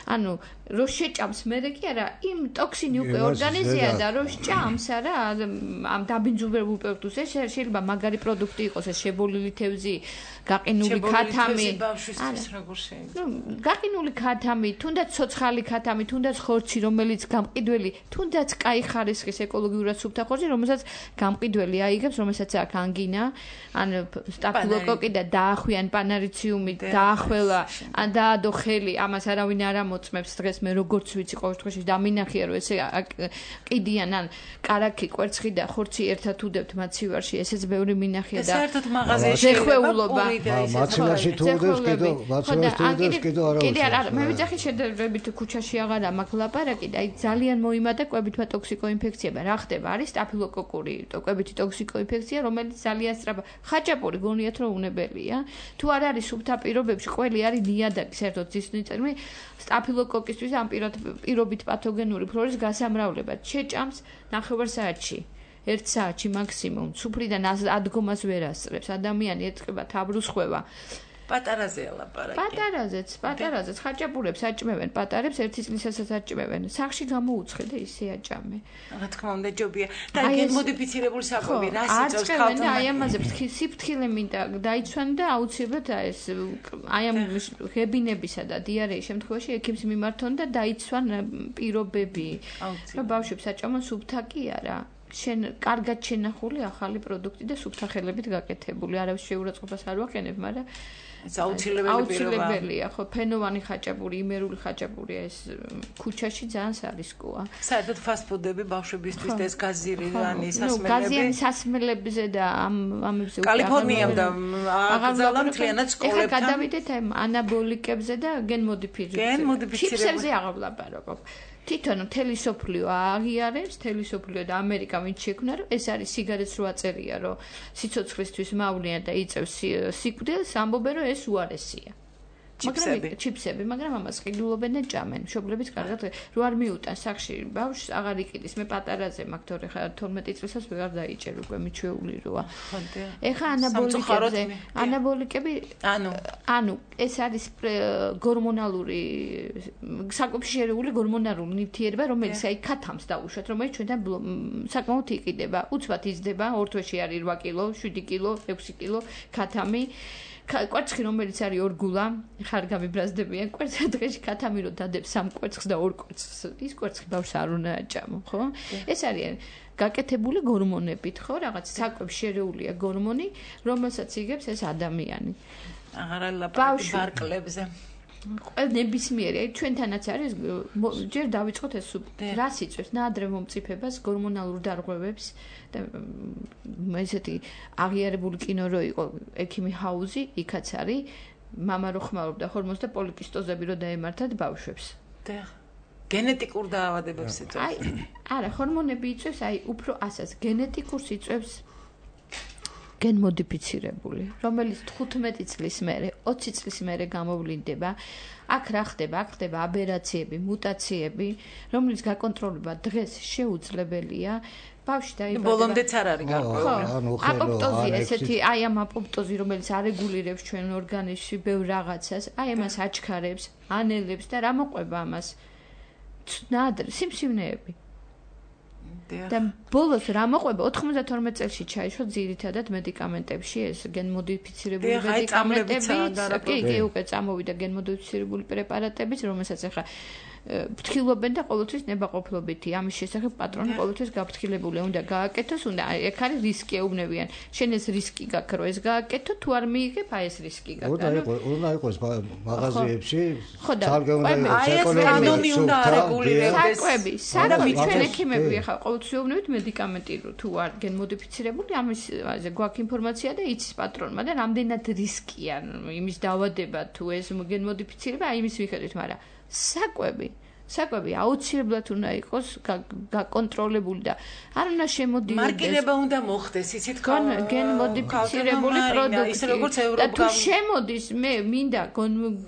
ანუ რო შეჭამს მერე კი არა, იმ ტოქსინი უკვე ორგანიზმია და რო შეჭამს არა ამ დაბინძურებულ პროდუქტს, შეიძლება მაგარი პროდუქტი იყოს, ეს შებოლილი თევზი, გაყინული ქათამი. გაყინული ქათამი, თუნდაც ცოცხალი ქათამი, თუნდაც ხორცი, რომელიც გამყიდველი, თუნდაც კაი ხარისხის ეკოლოგიურად სუფთა ხორცი, რომელსაც გამყიდველი აიღებს, რომელსაც აქვს ანგინა, ან სტაფილოკოკი და დაახვიან პანარიციუმი, დაახველა, ან დაადო ხელი, ამას არავინ არ ამოწმებს დღეს მე როგორც ვიცი ყოველ შემთხვევაში დამინახია რომ ესე ყიდიან ან კარაქი, კვერცხი და ხორცი ერთად უდევთ მაცივარში, ესეც ბევრი მინახია და საერთოდ მაღაზიაში შეხვეულობა. მაცივარში თუ უდევს კიდევ კიდე არა, მე ვიცახი შედარებით ქუჩაში აღარა მაქვს ლაპარაკი და აი ძალიან მოიმატა კვებითმა ტოქსიკოინფექციებმა. რა ხდება? არის სტაფილოკოკური კვებითი ტოქსიკოინფექცია, რომელიც ძალიან სწრაფად ხაჭაპური გონიათ რომ უნებელია. თუ არ არის სუფთა პირობებში, ყველი არის ნიადაგი, საერთოდ ძისნიწარმი სტაფილოკოკისთვის ამ პირობით პათოგენური ფლორის გასამრავლება. შეჭამს 9 საათში. 1 საათში მაქსიმუმ. სუფრიდან ადგომას ვერ ასწრებს. ადამიანი ეთყება თაბრუს ხვევა. პატარაზე ლაპარაკი. პატარაზეც ხაჭაპურებს აჭმევენ, პატარებს ერთი წლისასაც აჭმევენ. სახში გამოუცხე და ისე აჭამე. რა თქმა უნდა, ჯობია. და გენმოდიფიცირებული საკვები რა სიწევს ქალთან? აი ამაზე სიფრთხილე მინდა დაიცვან და აუცილებლად ეს აი ამ ღებინებისა და დიარეის შემთხვევაში ექიმს მიმართონ და დაიცვან პირობები. რა ბავშვებს აჭამონ სუფთა კი არა. შენ კარგად შენახული ახალი პროდუქტი და სუფთა ხელებით გაკეთებული. არავის შეურაცხყოფას არ ვაყენებ, მაგრამ აუცილებელია, ხო, ფენოვანი ხაჭაპური, იმერული ხაჭაპური ეს ქუჩაში ძალიან სარისკოა. საერთოდ ფასტფუდები ბავშვებისთვის და ეს გაზირიანი სასმელები. გაზიანი სასმელებზე და ამებზე კალიფორნიამ და აღზალა მთლიანად სკოლებთან. ეხლა გადავიდეთ აი ანაბოლიკებზე და გენმოდიფიცირებებზე. ჩიპსებზე აღარ ვლაპარაკობ. თვითონ მთელი სოფლიო აღიარებს, მთელი სოფლიო და ამერიკა ვინც შექმნა, რომ ეს არის სიგარეტს რო აწერია, რომ სიცოცხლისთვის მავნეა და იწევს სიკვდილს, ამბობენ, რომ ეს უარესია. ჩიპსები, მაგრამ ამას ყიდულობენ და ჭამენ. მშობლებით კარგად რო არ მიუტან სახში ბავშვს აღარ იყიდის. მე πატარაზე მაქვს, თორე ხა 12 წლისას ვეღარ დაიჭერ უკვე მიჩვეული როა. ეხა ანაბოლიკები, ანუ ეს არის გორმონალური საკვებში შერეული გორმონალური ნივთიერება, რომელიც აი ქათამს დაუშვათ, რომელიც ჩვენთან საკმაოდ იყიდება. უცბად იზრდება, ორ თვეში არის 8 კილო, 7 კილო, 6 კილო ქათამი. კვერცხი რომელიც არის 2 გულა, ხარ გამიბრაზდებიან კვერცხი დღეში ქათამი რო დადებს 3 კვერცხს და 2 კვერცხს. ის კვერცხი ბავშვს არ უნდა აჭამო, ხო? ეს არის გაკეთებული გორმონებით, ხო? რაღაც საკვებში შერეულია გორმონი, რომელსაც იგებს ეს ადამიანი. აღარა ლაპარაკი ბარკლებზე. ნებისმიერი, აი ჩვენთანაც არის ჯერ დავიწყოთ ეს რას იწვევს ნაადრევ მომწიფებას, გორმონალურ დარღვევებს და ესეთი აღიარებული კინო რო იყო ექიმი ჰაუზი, იქაც არის მამა რო ხმარობდა ჰორმონს და პოლიკისტოზები რო დაემართათ ბავშვებს. და გენეტიკურ დაავადებებს იწვევს. აი, არა, ჰორმონები იწვევს, აი უფრო ასას გენეტიკურს იწვევს გენმოდიფიცირებული, რომელიც 15 წლის მერე, 20 წლის მერე გამოვლინდება. აქ რა ხდება? აქ ხდება აბერაციები, მუტაციები, რომელიც გაკონტროლება დღეს შეუძლებელია. ბავშვი დაიბადება. ბოლომდეც არ არის გარკვეული. აპოპტოზი, ესეთი, აი ამ აპოპტოზი, რომელიც არეგულირებს ჩვენ ორგანიზმში ბევრ რაღაცას, აი ამას აჩქარებს, ანელებს და რა მოყვება ამას? ნადრ, სიმსივნეები. და ბოლოს რა მოყვება 92 წელს ჩაიშვა ძირითადად მედიკამენტებში ეს გენმოდიფიცირებული მედიკამენტები კი უკვე წამოვიდა გენმოდიფიცირებული პრეპარატებიც რომელსაც ახლა ფრთხილობენ და ყოველთვის ნებაყოფლობითი ამის შესახებ პატრონი ყოველთვის გაფრთხილებული უნდა გააკეთოს უნდა ეგ არის რისკი ეუბნებიან შენ ეს რისკი გაქვს რომ ეს გააკეთო თუ არ მიიღებ აი ეს რისკი გაქვს უნდა იყოს მაღაზიებში თალგე უნდა იყოს ეკონომიკა უნდა არეგულირებდეს საკვები ჩვენ ექიმები ახლა ყოველთვის ეუბნებით მედიკამენტი თუ არ გენმოდიფიცირებული ამაზე გვაქვს ინფორმაცია და იცის პატრონმა და რამდენად რისკია იმის დაავადება თუ ეს გენმოდიფიცირება აი იმის მიხედვით მაგრამ საკვები აუცილებლად უნდა იყოს გაკონტროლებული და არ უნდა შემოდიოდეს მარკირება უნდა მოხდეს იცით გენმოდიფიცირებული პროდუქტი და თუ შემოდის მე მინდა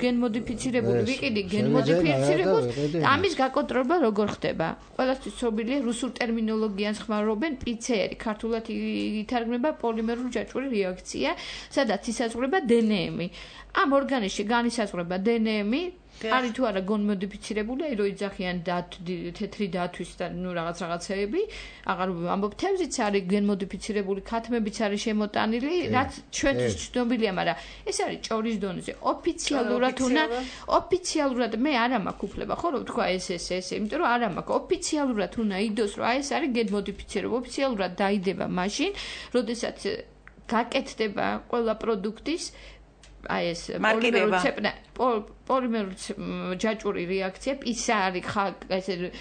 გენმოდიფიცირებული ვიყიდი გენმოდიფიცირებულს ამის გაკონტროლება როგორ ხდება ყველასთვის ცნობილია რუსულ ტერმინოლოგიას ხმარობენ PCR ქართულად ითარგმნება პოლიმერული ჯაჭვური რეაქცია სადაც ისაზღვრება დნმ ამ ორგანიზმში განისაზღვრება დნმ არის თუ არა გენმოდიფიცირებული, აი რო იძახიან თეთრი დათვის და ნუ რაღაცეები, აღარ ამბობ თევზიც არის გენმოდიფიცირებული, ქათმებიც არის შემოტანილი, რაც ჩვენთვის ცნობილია, მაგრამ ეს არის ჭორის დონეზე. ოფიციალურად მე არა მაქვს უფლება, ხო რომ თქვა ეს, იმიტომ რომ არა მაქვს. ოფიციალურად უნდა იდოს, რომ აი ეს არის გენმოდიფიცირებული, ოფიციალურად დაიდება მაშინ, როდესაც გაკეთდება ყველა პროდუქტის აი ეს პოლიმერული ჯაჭვური რეაქცია PCR ესე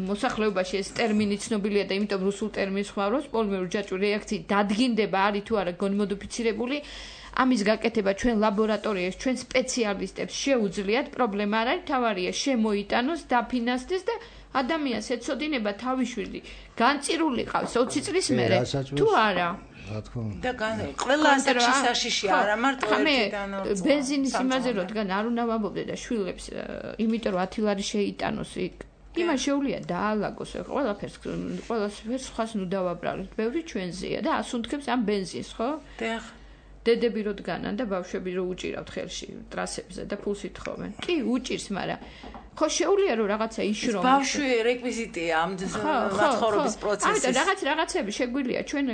მოსახლეობაში ეს ტერმინი ცნობილია და იმიტომ რუსულ ტერმინს ხმარობს პოლიმერული ჯაჭვური რეაქცია დადგინდება არის თუ არა გენმოდიფიცირებული ამის გაკეთება ჩვენ ლაბორატორიაში ჩვენ სპეციალისტებს შეუძლიათ პრობლემა არ არის თავარია შემოიტანოს დაფინანსდეს და ადამიანს ეცოდინება თავიშვილი განწირული ყავს 20 წლის მერე თუ არა და ყველა ასაკში საშიში არა მარტო ერთიდან ორ ბენზინის იმაზე რადგან არ უნდა ვამბობდე და შვილებს იმიტომ რომ 10 ლარი შეიტანოს იქ იმას შეუძლია დაალაგოს ყველაფერს სხვას ნუ დავაბრალოთ ბევრი ჩვენზეა და ასუნთქებს ამ ბენზინს ხო დედები რო დგანან და ბავშვები რო უჭირავთ ხელში ტრასებზე და ფულს ითხოვენ. კი, უჭირს, მაგრამ ხო შეუძლია რომ რაღაცა იშრომოს. ბავშვი რეკვიზიტია ამ მაცხოვრების პროცესის. ამიტომ რაღაცები შეგვიძლია ჩვენ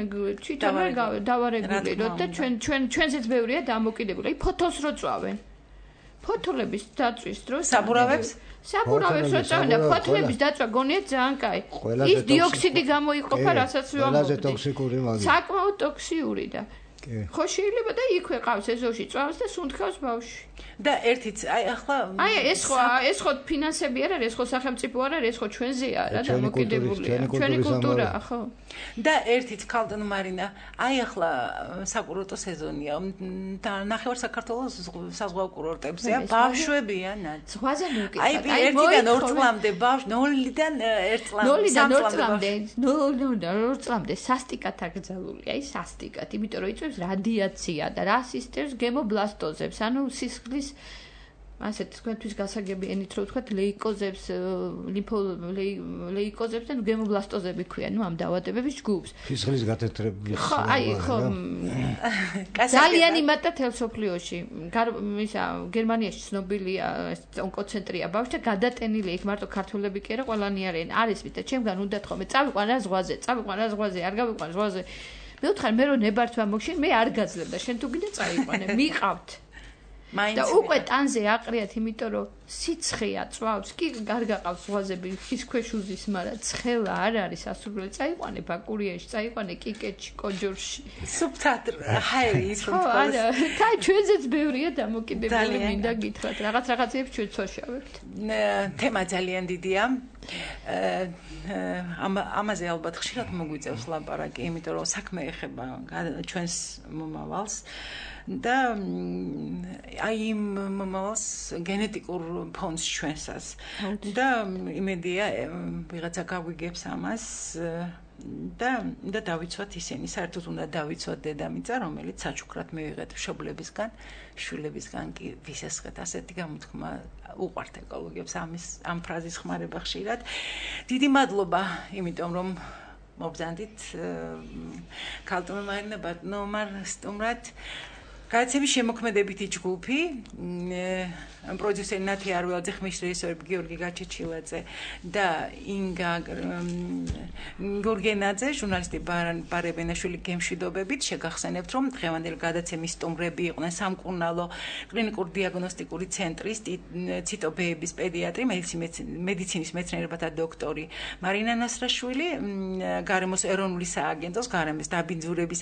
თვითონ დავარეგულიროთ და ჩვენზეც ბევრია დამოკიდებული. ფოთოლს რო წვავენ. ფოთოლების დაწვის დროს საბურავებს რო წავენ და ფოთლების დაწვა გონია ძალიან კაი. ის დიოქსიდი გამოიყოფა, რასაც ყველაზე ტოქსიკური მაგია. საკმაოდ ტოქსიური და ხო შეიძლება და იქვე ყავს ეზოში წვავს და სუნთქავს ბავშვი. და ერთიც ახლა ეს ხო ფინანსები არ არის, ეს ხო სახელმწიფო არ არის, ეს ხო ჩვენზეა რა დამოკიდებულია. ჩვენი კულტურა, ხო. და ერთიც ქალტონ მარინა, ახლა საკურორტო სეზონია და ნახევარ საქართველოს საზღვაო კურორტებზეა, ბავშვებია ნად. ზღვაზე მოკიდე. ერთიდან 2 წლამდე ბავშვი, 0-დან 1 წლამდე სასტიკად აკრძალულია, სასტიკად, იმიტომ რომ იწვევს რადიაცია და რა სისტემს გემობლასტოზებს, ანუ სისხლის ასეთ თქვენთვის გასაგები ენით რო ვთქვათ ლეიკოზებს, ლეიკოზებს და გემობლასტოზები ქვია, ამ დაავადებების ჯგუფს. სისხლის გათეთრების. ხო, ხო. ძალიან იმატა თელსოფლიოში. გერმანიაში ცნობილია ონკოცენტრია ბავშვთა გადატენილი იქ მარტო ქართველები კი არა, ყველანი არიან. არის მით და ჩემგან უნდათ ხოლმე წავიყვან რა ზღვაზე, არ გავიყვან ზღვაზე. მე ვთხარ მე რო ნებართვა მოგშენ მე არ გაძლებ და შენ თუ კიდე წაიყვანე მიყავთ და უკვე ტანზე აყრიათ იმიტომ რომ სიცხეა წვავს კი გარგაყავს ზღვაზები ხის ქვეშ უზის მაგრამ ცხელა არ არის ასურველი წაიყვანე ბაკურიაში წაიყვანე კიკეთში კოჯორში სუბტატრ ჰაერი ის რომ არა კაი ჩვენზეც ბევრია დამოკიდებული მინდა გითხრათ რაღაცებს ჩვენ ცოშავებთ თემა ძალიან დიდია ამაზე ალბათ ხშირად მოგვიწევს ლაპარაკი იმიტომ რომ საქმე ეხება ჩვენს მომავალს და აი იმ მომავალს გენეტიკურ ფონს ჩვენსას და იმედია ვიღაცა გავიგებს ამას და დავიცვათ ისინი საერთოდ უნდა დავიცვათ დედამიწა რომელიც საჩუქრად მივიღეთ მშობლებისგან შვილებისგან კი ვისესხეთ ასეთი გამოთქმა უყვართ ეკოლოგიებს ამ ფრაზის ხმარება ხშირად დიდი მადლობა იმიტომ რომ მობრძანდით ქალტონ მარინა ბატონმა სტუმრად გააცემის შემოქმედებითი ჯგუფი პროდიუსერი ნათი არველაძე ხმის რეჟისორები გიორგი გაჩეჩილაძე და ინგა გორგენაძე ჟურნალისტი ბარებენაშვილი გემშვიდობებით შეგახსენებთ რომ დღევანდელი გადაცემის სტუმრები იყვნენ სამკურნალო კლინიკური დიაგნოსტიკური ცენტრის ციტობეების პედიატრი მედიცინის მეცნიერებათა დოქტორი მარინა ნასრაშვილი გარემოს ეროვნული სააგენტოს გარემოს დაბინძურების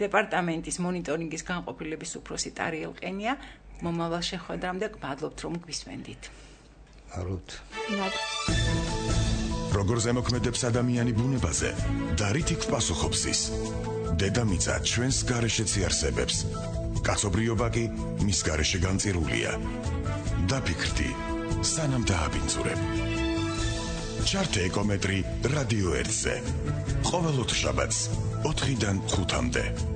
დეპარტამენტის მონიტორინგის განყოფილების უფროსი ტარიელ ყენია მომავალ შეხვედრამდე გმადლობთ რომ გვისმენდით. მადლობთ. როგორ ზემოქმედებს ადამიანი ბუნებაზე და რითი პასუხობს ის? დედამიწა ჩვენს გარეშეც იარსებებს. კაცობრიობა კი მის გარეშე განწირულია. დაფიქრდი, სანამ დააბინძურებ. ჩართე ეკომეტრი რადიო 1-ზე. ყოველ ოთხშაბათს 4-დან 5-მდე.